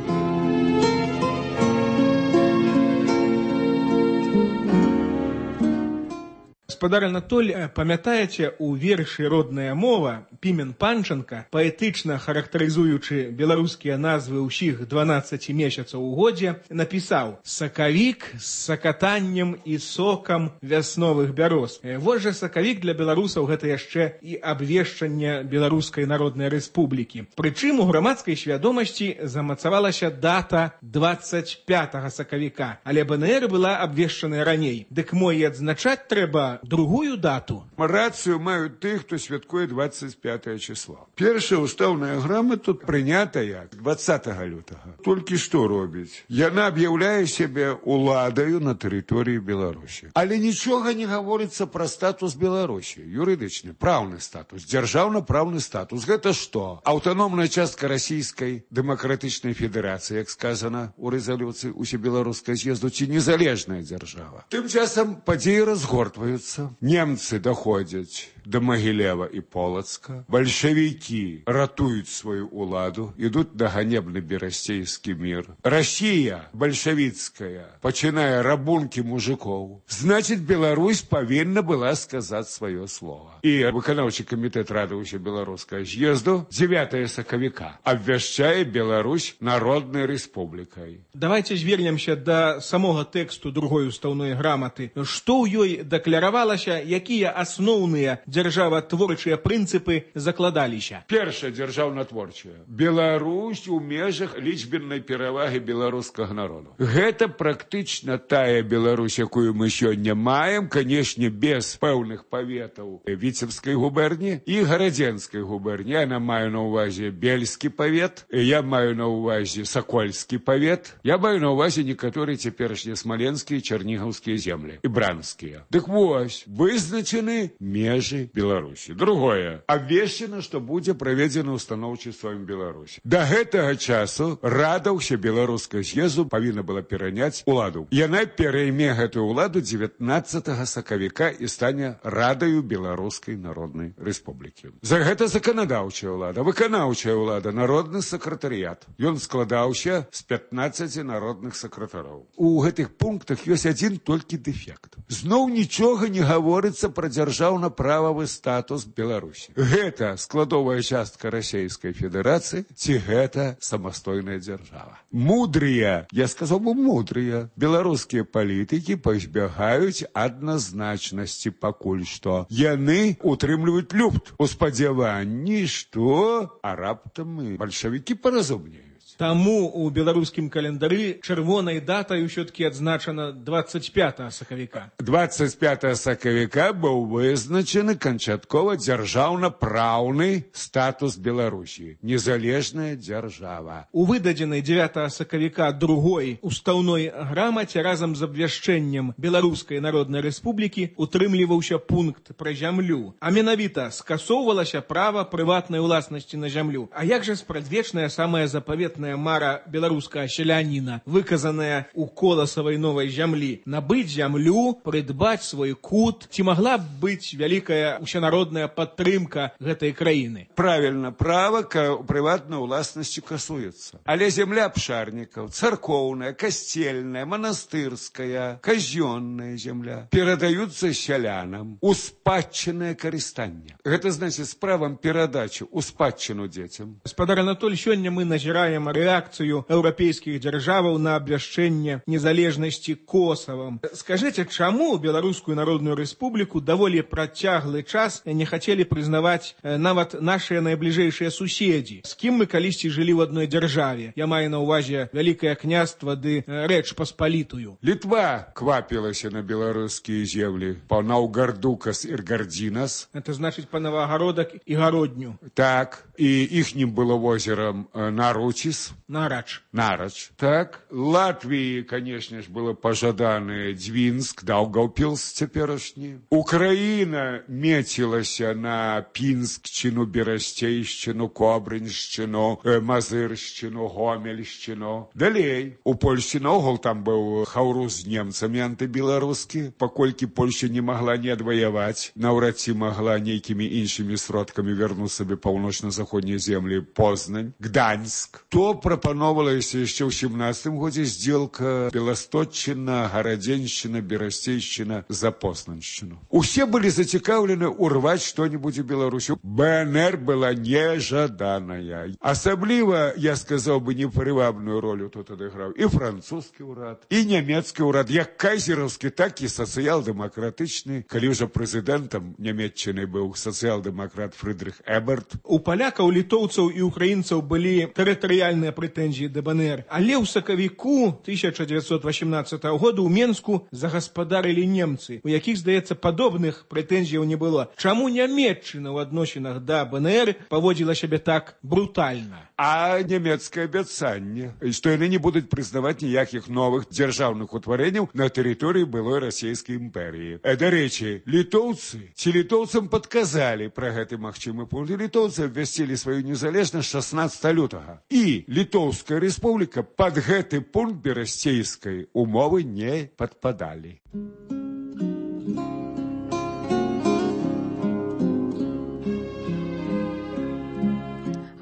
Speaker 19: Гаспадар Анатоль, памятаеце, у вершы «Родная мова» Пімен Панченка, паэтычна характарызуючы беларускія назвы ўсіх дванаццаці месяцаў у годзе, напісаў «Сакавік з сакатаннем і сокам вясновых бяроз». Вось жа сакавік для беларусаў гэта яшчэ і абвешчанне Беларускай Народнай Рэспублікі. Прычым у грамадскай свядомасці замацавалася дата двадцать пятага сакавіка, але БНР была абвешчаная раней. Дык мо і адзначаць трэба другую дату.
Speaker 20: Рацыю маюць тых, хто святкуе двадцать пятое число. Першая устаўная грамата прынятая двадцатага лютага. Толькі што робіць? Яна аб'яўляе сябе уладаю на тэрыторыі Беларусі. Але нічога не гаворыцца пра статус Беларусі. Юрыдычны, праўны статус, дзяржаўна-праўны статус. Гэта што? Аўтаномная частка расійскай дэмакратычнай федэрацыі, як сказана у рэзалюцыі усебеларускай з'езду, ці незалежная дзяржава. Тым часам падзеі разгортваюцца. Немцы доходят до Могилева и Полоцка. Большевики ратуют свою уладу, идут на ганебный берастейский мир. Россия большевицкая, починая рабунки мужиков. Значит, Беларусь повинна была сказать свое слово. И выканаўчы комитет Рады Усебеларускага з'езду девятого сакавіка обвяшчае Беларусь Народной Республикой.
Speaker 19: Давайте звернемся до самого тексту другой устаўной граматы. Што ў ёй дэкларавалася, якія асноўныя дзяржаватворчыя прынцыпы закладаліся?
Speaker 20: Першае дзяржаўнатворчае. Беларусь у межах лічбеннай перавагі беларускага народу. Гэта практычна тая Беларусь, якую мы сёння маем, канешне, без пэўных паветаў Віцебскай губерні і Гарадзенскай губерні. Я маю на ўвазе Бельскі павет, я маю на ўвазе Сакольскі павет, я маю на ўвазе некаторыя цяперашнія смаленскія, чарнігаўскія землі і бранскія. Дык вось, вызначаны межы межы Беларусі. Другое. Абвешчана, што будзе праведзена устаноўчыцтва ў Беларусі. Да гэтага часу Рада ўсебеларускага з'езду павінна была пераняць уладу. Яна перайме гэтую ўладу дзевятнаццатага сакавіка і стане Радаю Беларускай Народнай Рэспублікі. За гэта заканадаўчая ўлада, выканаўчая ўлада, народны сакратарыят. Ён складаўся з пятнаццаці народных сакратароў. У гэтых пунктах ёсць адзін толькі дэфект. Зноў нічога не гаворыцца пра дзяржаўна-прававы статус Беларусі. Гэта складовая частка Расійскай Федэрацыі ці гэта самастойная дзяржава. Мудрыя, я сказаў бы мудрыя, беларускія палітыкі пазбягаюць адназначнасці пакуль што. Яны утрымліваюць люфт у спадзяванні, што а раптам і бальшавікі паразумнеюць.
Speaker 19: Таму у беларускім календары чырвонай датай ўсё-такі адзначана двадцать пятого сакавіка.
Speaker 20: двадцать пятого сакавіка быў вызначаны канчаткова дзяржаўна-праўны статус Беларусі. Незалежная дзяржава.
Speaker 19: У выдадзенай дзевятого сакавіка другой устаўной грамаце разам з абвяшчэннем Беларускай Народнай Рэспублікі утрымліваўся пункт пра зямлю. А менавіта скасоўвалася права прыватнай уласнасці на зямлю. А як жа спрадвечная самая запаветная мара беларускага селяніна, выказаная ў коласавай новай зямлі, набыць зямлю, прыдбаць свой кут, ці магла б быць вялікая усенародная падтрымка гэтай краіны?
Speaker 20: Правільна, права к прыватнай уласнасці касуецца. Але зямля абшарнікаў, царкоўная, касцельная, манастырская, казённая зямля перадаюцца сялянам у спадчыннае карыстанне. Гэта значыць з правам перадачы ў спадчыну дзецям.
Speaker 19: Гаспадар Анатоль, сёння мы назіраем рэакцыю еўрапейскіх дзяржаваў на абвяшчэнне незалежнасці Косавам. Скажыце, чаму Беларускую Народную Рэспубліку даволі працяглы час не хацелі прызнаваць нават нашыя найбліжэйшыя суседзі, з кім мы калісьці жылі ў адной дзяржаве? Я маю на ўвазе Вялікае княства ды Рэч Паспалітую.
Speaker 20: Літва квапілася на беларускія землі па Наўгардукас і Гардзінас.
Speaker 19: Это значыць па Навагародак і Гародню.
Speaker 20: Так, і іхнім было возерам Наручіс.
Speaker 19: Нарач.
Speaker 20: Нарач. Так. Латвии, конечно ж, было пожаданы Двинск, Даугавпилс цяперашні. Украина мецілася на Пінскчыну, Берасцейшчыну, Кобрыншчыну, Мазыршчыну, Гомельшчыну. Далей. У Польші наогул там быў хаўрус з немцамі антыбеларускі, паколькі Польша не магла не адваяваць, наўрад ці магла нейкімі іншымі сродкамі вярнуць сабе паўночна-заходнія землі Познань, Гданьск. То прапановалася яшчэ ў сямнаццатым годзе здзелка Беласточчына, Гарадзеншчына, Берасцейшчына за Познаншчыну. Усе былі зацікаўлены урваць што-небудзь у Беларусі. БНР была нежаданая. Асабліва, я сказаў бы, непрывабную ролю тут адыграў і французскі ўрад, і нямецкі ўрад, як кайзераўскі, так і сацыял-дэмакратычны. Калі ўжо прэзідэнтам Нямецчыны быў сацыял-дэмакрат Фрыдрых Эберт.
Speaker 19: У палякаў, літоўцаў і украінцаў былі тэрытарыяльныя прэтэнзіі да БНР. Але ў сакавіку тысяча дзевяцьсот васямнаццатага года ў Менску загаспадарылі немцы, у якіх, здаецца, падобных прэтэнзіяў не было. Чаму Нямецчына ў адносінах да БНР паводзіла сябе так брутальна?
Speaker 20: А нямецкае абяцанне, што яны не будуць прызнаваць ніякіх новых дзяржаўных утварэнняў на тэрыторыі былой расійскай імперіі. Дарэчы, літоўцы ці літоўцам падказалі пра гэты магчымы пункт. Літоўцы абвясцілі сваю незалежнасць шаснаццатага лютага. І Літоўская рэспубліка пад гэты пункт берасцейскай умовы не падпадалі.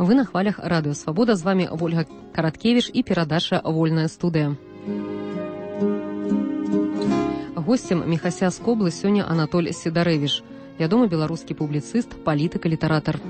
Speaker 9: Вы на хвалях Радыё Свабода. З вами Вольга Караткевіч і перадача «Вольная студыя». Госцем Міхася з Коблы сёння Анатоль Сідарэвіч, вядомы беларускі публіцыст, палітык і літаратар.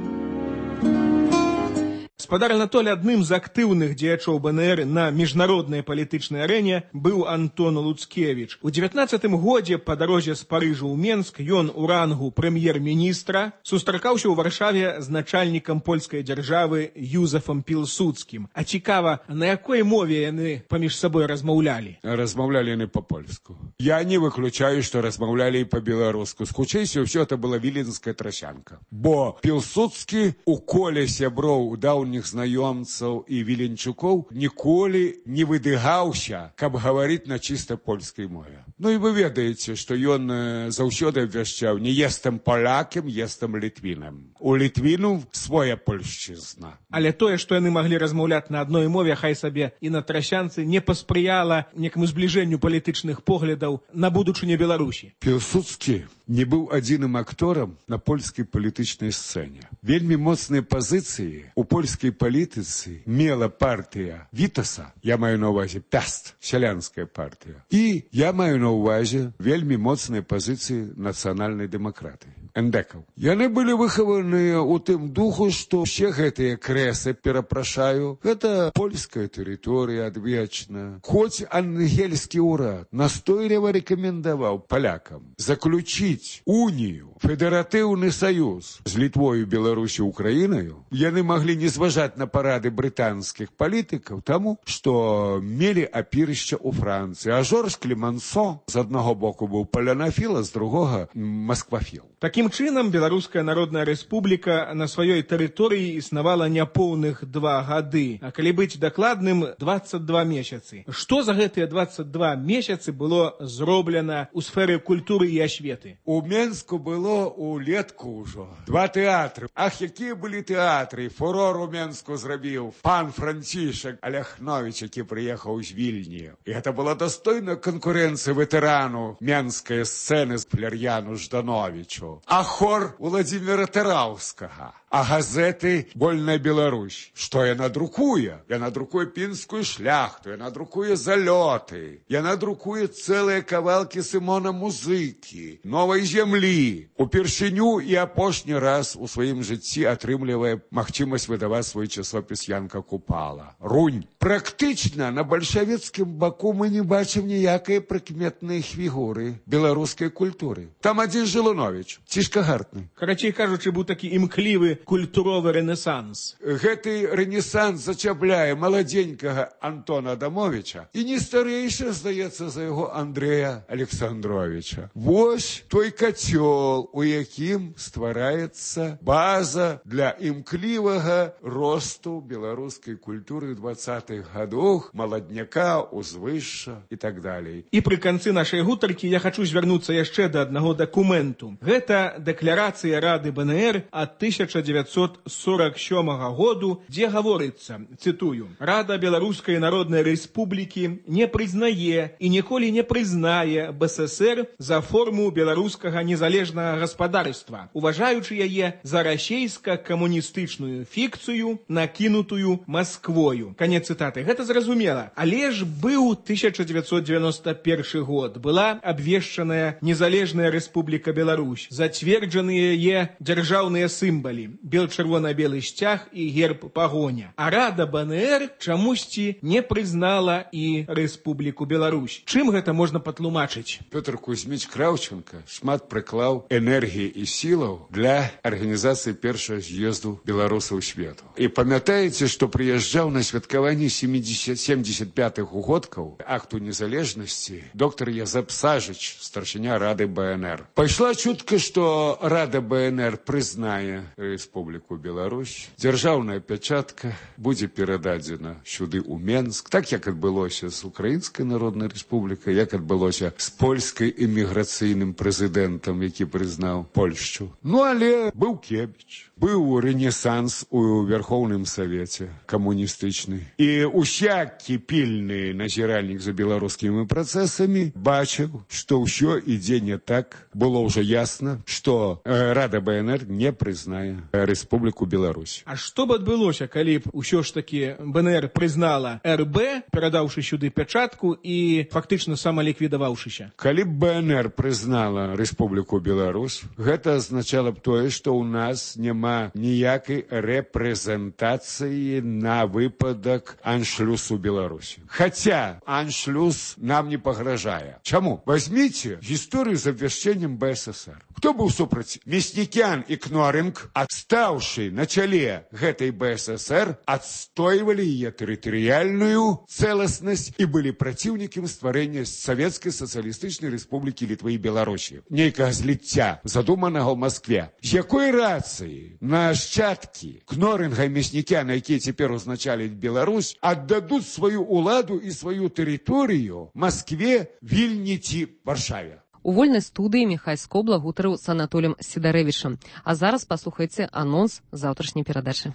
Speaker 19: Гаспадар Анатоль, адным з актыўных дзеячоў БНР на міжнароднай палітычнай арэне быў Антон Луцкевіч. У дзевятнаццатым годзе па дарозе з Парыжа ў Менск ён у рангу прэм'ер-міністра сустракаўся ў Варшаве з начальнікам польскай дзяржавы Юзефам Пілсудскім. А цікава, на якой мове яны паміж сабой размаўлялі?
Speaker 20: Размаўлялі яны па-польску. Я не выключаю, што размаўлялі і па-беларуску. Хутчэй ўсё это была віленская трасянка. Бо Пілсудскі у коле сяброў даўніх блізкіх знаёмцаў і віленчукоў ніколі не выдыгаўся, каб гаварыць на чыста польскай мове. Ну і вы ведаеце, што ён заўсёды абвяшчаў: не естам палякам, естам літвінам. У літвіну своя польшчызна.
Speaker 19: Але тое, што яны маглі размаўляць на адной мове, хай сабе і на трасянцы, не паспрыяла некаму збліжэнню палітычных поглядаў на будучыню Беларусі.
Speaker 20: Пілсудскі не быў адзіным акторам на польскай палітычнай сцэне. Вельмі моцныя пазіцыі у польскай палітыцы мела партыя Вітаса, я маю на ўвазе Пяст, сялянская партыя. І я маю на ўвазе вельмі моцныя пазіцыі нацыянальнай дэмакратыі, эндекаў. Яны былі выхаваныя ў тым духу, што ўсе гэтыя крэсы, перапрашаю, гэта польская тэрыторыя адвечна. Хоць ангельскі ўрад настойліва рэкамендаваў палякам заключіць унію, федэратыўны саюз з Літвою, Беларусю, Украінаю, яны маглі не зважаць на парады брытанскіх палітыкаў, таму, што мелі апірышча ў Францыі. А Жорж Клемансо з аднаго боку быў палянафіл, а з другога масквафіл.
Speaker 19: Такім чынам, Беларуская Народная Рэспубліка на сваёй тэрыторыі існавала няпоўных два гады, а калі быць дакладным, дваццаць два месяцы. Што за гэтыя дваццаць два месяцы было зроблена ў сферы культуры і асветы?
Speaker 20: У Менску было улетку ўжо два тэатры. Ах, якія былі тэатры! Фурор у Менску зрабіў пан Францішак Аляхновіч, які прыехаў з Вільні. І гэта была дастойная канкурэнцыя ветэрану менскай сцэны з Фляр'яну Ждановічу. А хор Владзіміра Тараўскага. А газеты «Вольная Беларусь». Што яна друкуе? Яна друкуе пінскую шляхту, яна друкуе залёты, яна друкуе цэлыя кавалкі Сымона Музыкі, новай зямлі. Упершыню і апошні раз у сваім жыцці атрымлівае магчымасць выдаваць свой часопіс Янка Купала. Рунь. Практычна на бальшавіцкім баку мы не бачым ніякай прыкметнай фігуры беларускай культуры. Там адзін Жылуновіч, цішка гартны.
Speaker 19: Карацей кажучы, быў такі імклівы культуровы рэнесанс.
Speaker 20: Гэты рэнесанс зачапляе маладзенькага Антона Адамовича і не старэйшы, здаецца, за яго Андрэя Александровича. Вось той кацёл, у якім ствараецца база для імклівага росту беларускай культуры двадцатых гадоў, маладняка, узвышша і так далей.
Speaker 19: І пры канцы нашай гутаркі я хачу звярнуцца яшчэ да аднаго дакументу. Гэта дэкларацыя Рады БНР ад тысяча дзевяцьсот сорок сёмага году, дзе гаворыцца, цытую: «Рада Беларускай Народнай Рэспублікі не прызнае і ніколі не прызнае БССР за форму беларускага незалежнага гаспадарства, уважаючы яе за расейска-камуністычную фікцыю, накінутую Масквою». Канец цытаты. Гэта зразумела. Але ж быў тысяча дзевяцьсот дзевяносто першы год. Была абвешчаная незалежная Рэспубліка Беларусь. Зацверджаныя яе дзяржаўныя сімвалы. Бел-чырвона-белы сцяг і герб пагоня. А Рада БНР чамусьці не прызнала і Рэспубліку Беларусь. Чым гэта можна патлумачыць?
Speaker 20: Пётр Кузьміч Краўченка шмат прыклаў энергіі і сілаў для арганізацыі першага з'езду беларусаў свету. І памятаеце, што прыязджаў на святкаванні семьдесят пятых угодкаў акту незалежнасці доктор Язэп Сажыч, старшыня Рады БНР. Пайшла чутка, што Рада БНР прызнае Рэспубліку Беларусь, дзяржаўная пячатка будзе перададзена сюды ў Менск, так як адбылося з Украінскай Народнай Рэспублікай, як адбылося з польскай эміграцыйным прэзідэнтам, які прызнаў Польшчу. Ну, але быў Кебіч, быў рэнесанс у Верхоўным Савеце камуністычны. І усякі пільны назіральнік за беларускімі працэсамі бачыў, што ўсё ідзе не так. Было ўжо ясна, што Рада БНР не прызнае Рэспубліку Беларусь.
Speaker 19: А што б адбылося, калі б усё ж такі БНР прызнала РБ, перадаўшы сюды пячатку і фактычна самаліквідаваўшыся?
Speaker 20: Калі б БНР прызнала Рэспубліку Беларусь, гэта азначала б тое, што ў нас няма ніякай рэпрэзентацыі на выпадак аншлюсу Беларусі. Хаця аншлюс нам не пагражае. Чаму? Возьмите гісторыю з абвяшчэннем БССР. Хто быў супраць? Мяснікян і Кноринг, адстаўшы на чале гэтай бэ эс эс эр, адстойвалі яе тэрытарыяльную цэласнасць і былі праціўнікамі стварэння Савецкай сацыялістычнай рэспублікі Літвы і Беларусі. Нейкага зліцця, задуманага ў Маскве. З якой рацыі нашчадкі Кноринга і Мяснікяна, якія цяпер узначалююць Беларусь, аддадуць сваю ўладу і сваю тэрыторыю Маскве, Вільні ці Варшаве?
Speaker 9: У вольнай студыі Міхай Скобла гутарыў з Анатолем Сідарэвічам. А зараз паслухайце анонс заўтрашняй перадачы.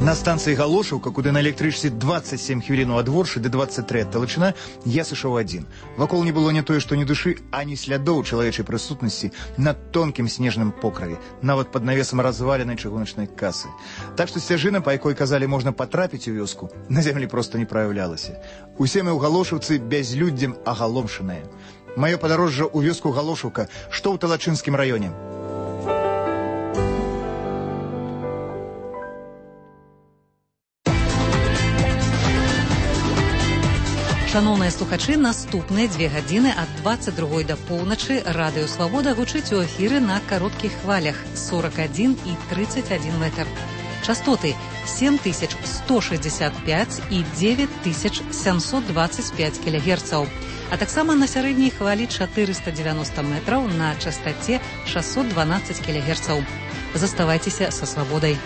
Speaker 3: На станцыі Галошаўка, куды на электрычцы двадцать семь хвілін ад Воршы ды двадцать три ад Талачына, я сышоў адзін. Вакол не было не тое, што ні душы, ані слядоў чалавечай прысутнасці на тонкім снежным покраве, нават пад навесам разваленай чыгуначнай касы. Так што сцяжына, па якой казалі можна патрапіць у вёску, на зямлі проста не праяўлялася. Усе мы ў Галошаўцы бязлюддзем агаломшаныя. Маё падарожжа ў вёску Галошаўка, што ў Талачынскім раёне.
Speaker 7: Шановныя слухачы, наступныя дзве гадзіны ад двадцать другой да поўначы радыё Свабода гучыць у эфіры на кароткіх хвалях сорок один і тридцать один метр. Частоты семь тысяч сто шестьдесят пять і девять тысяч семьсот двадцать пять кілогерцаў, а таксама на сярэдняй хвалі четыреста девяносто метраў на частоце шестьсот двенадцать кілогерцаў. Заставайцеся са Свабодай.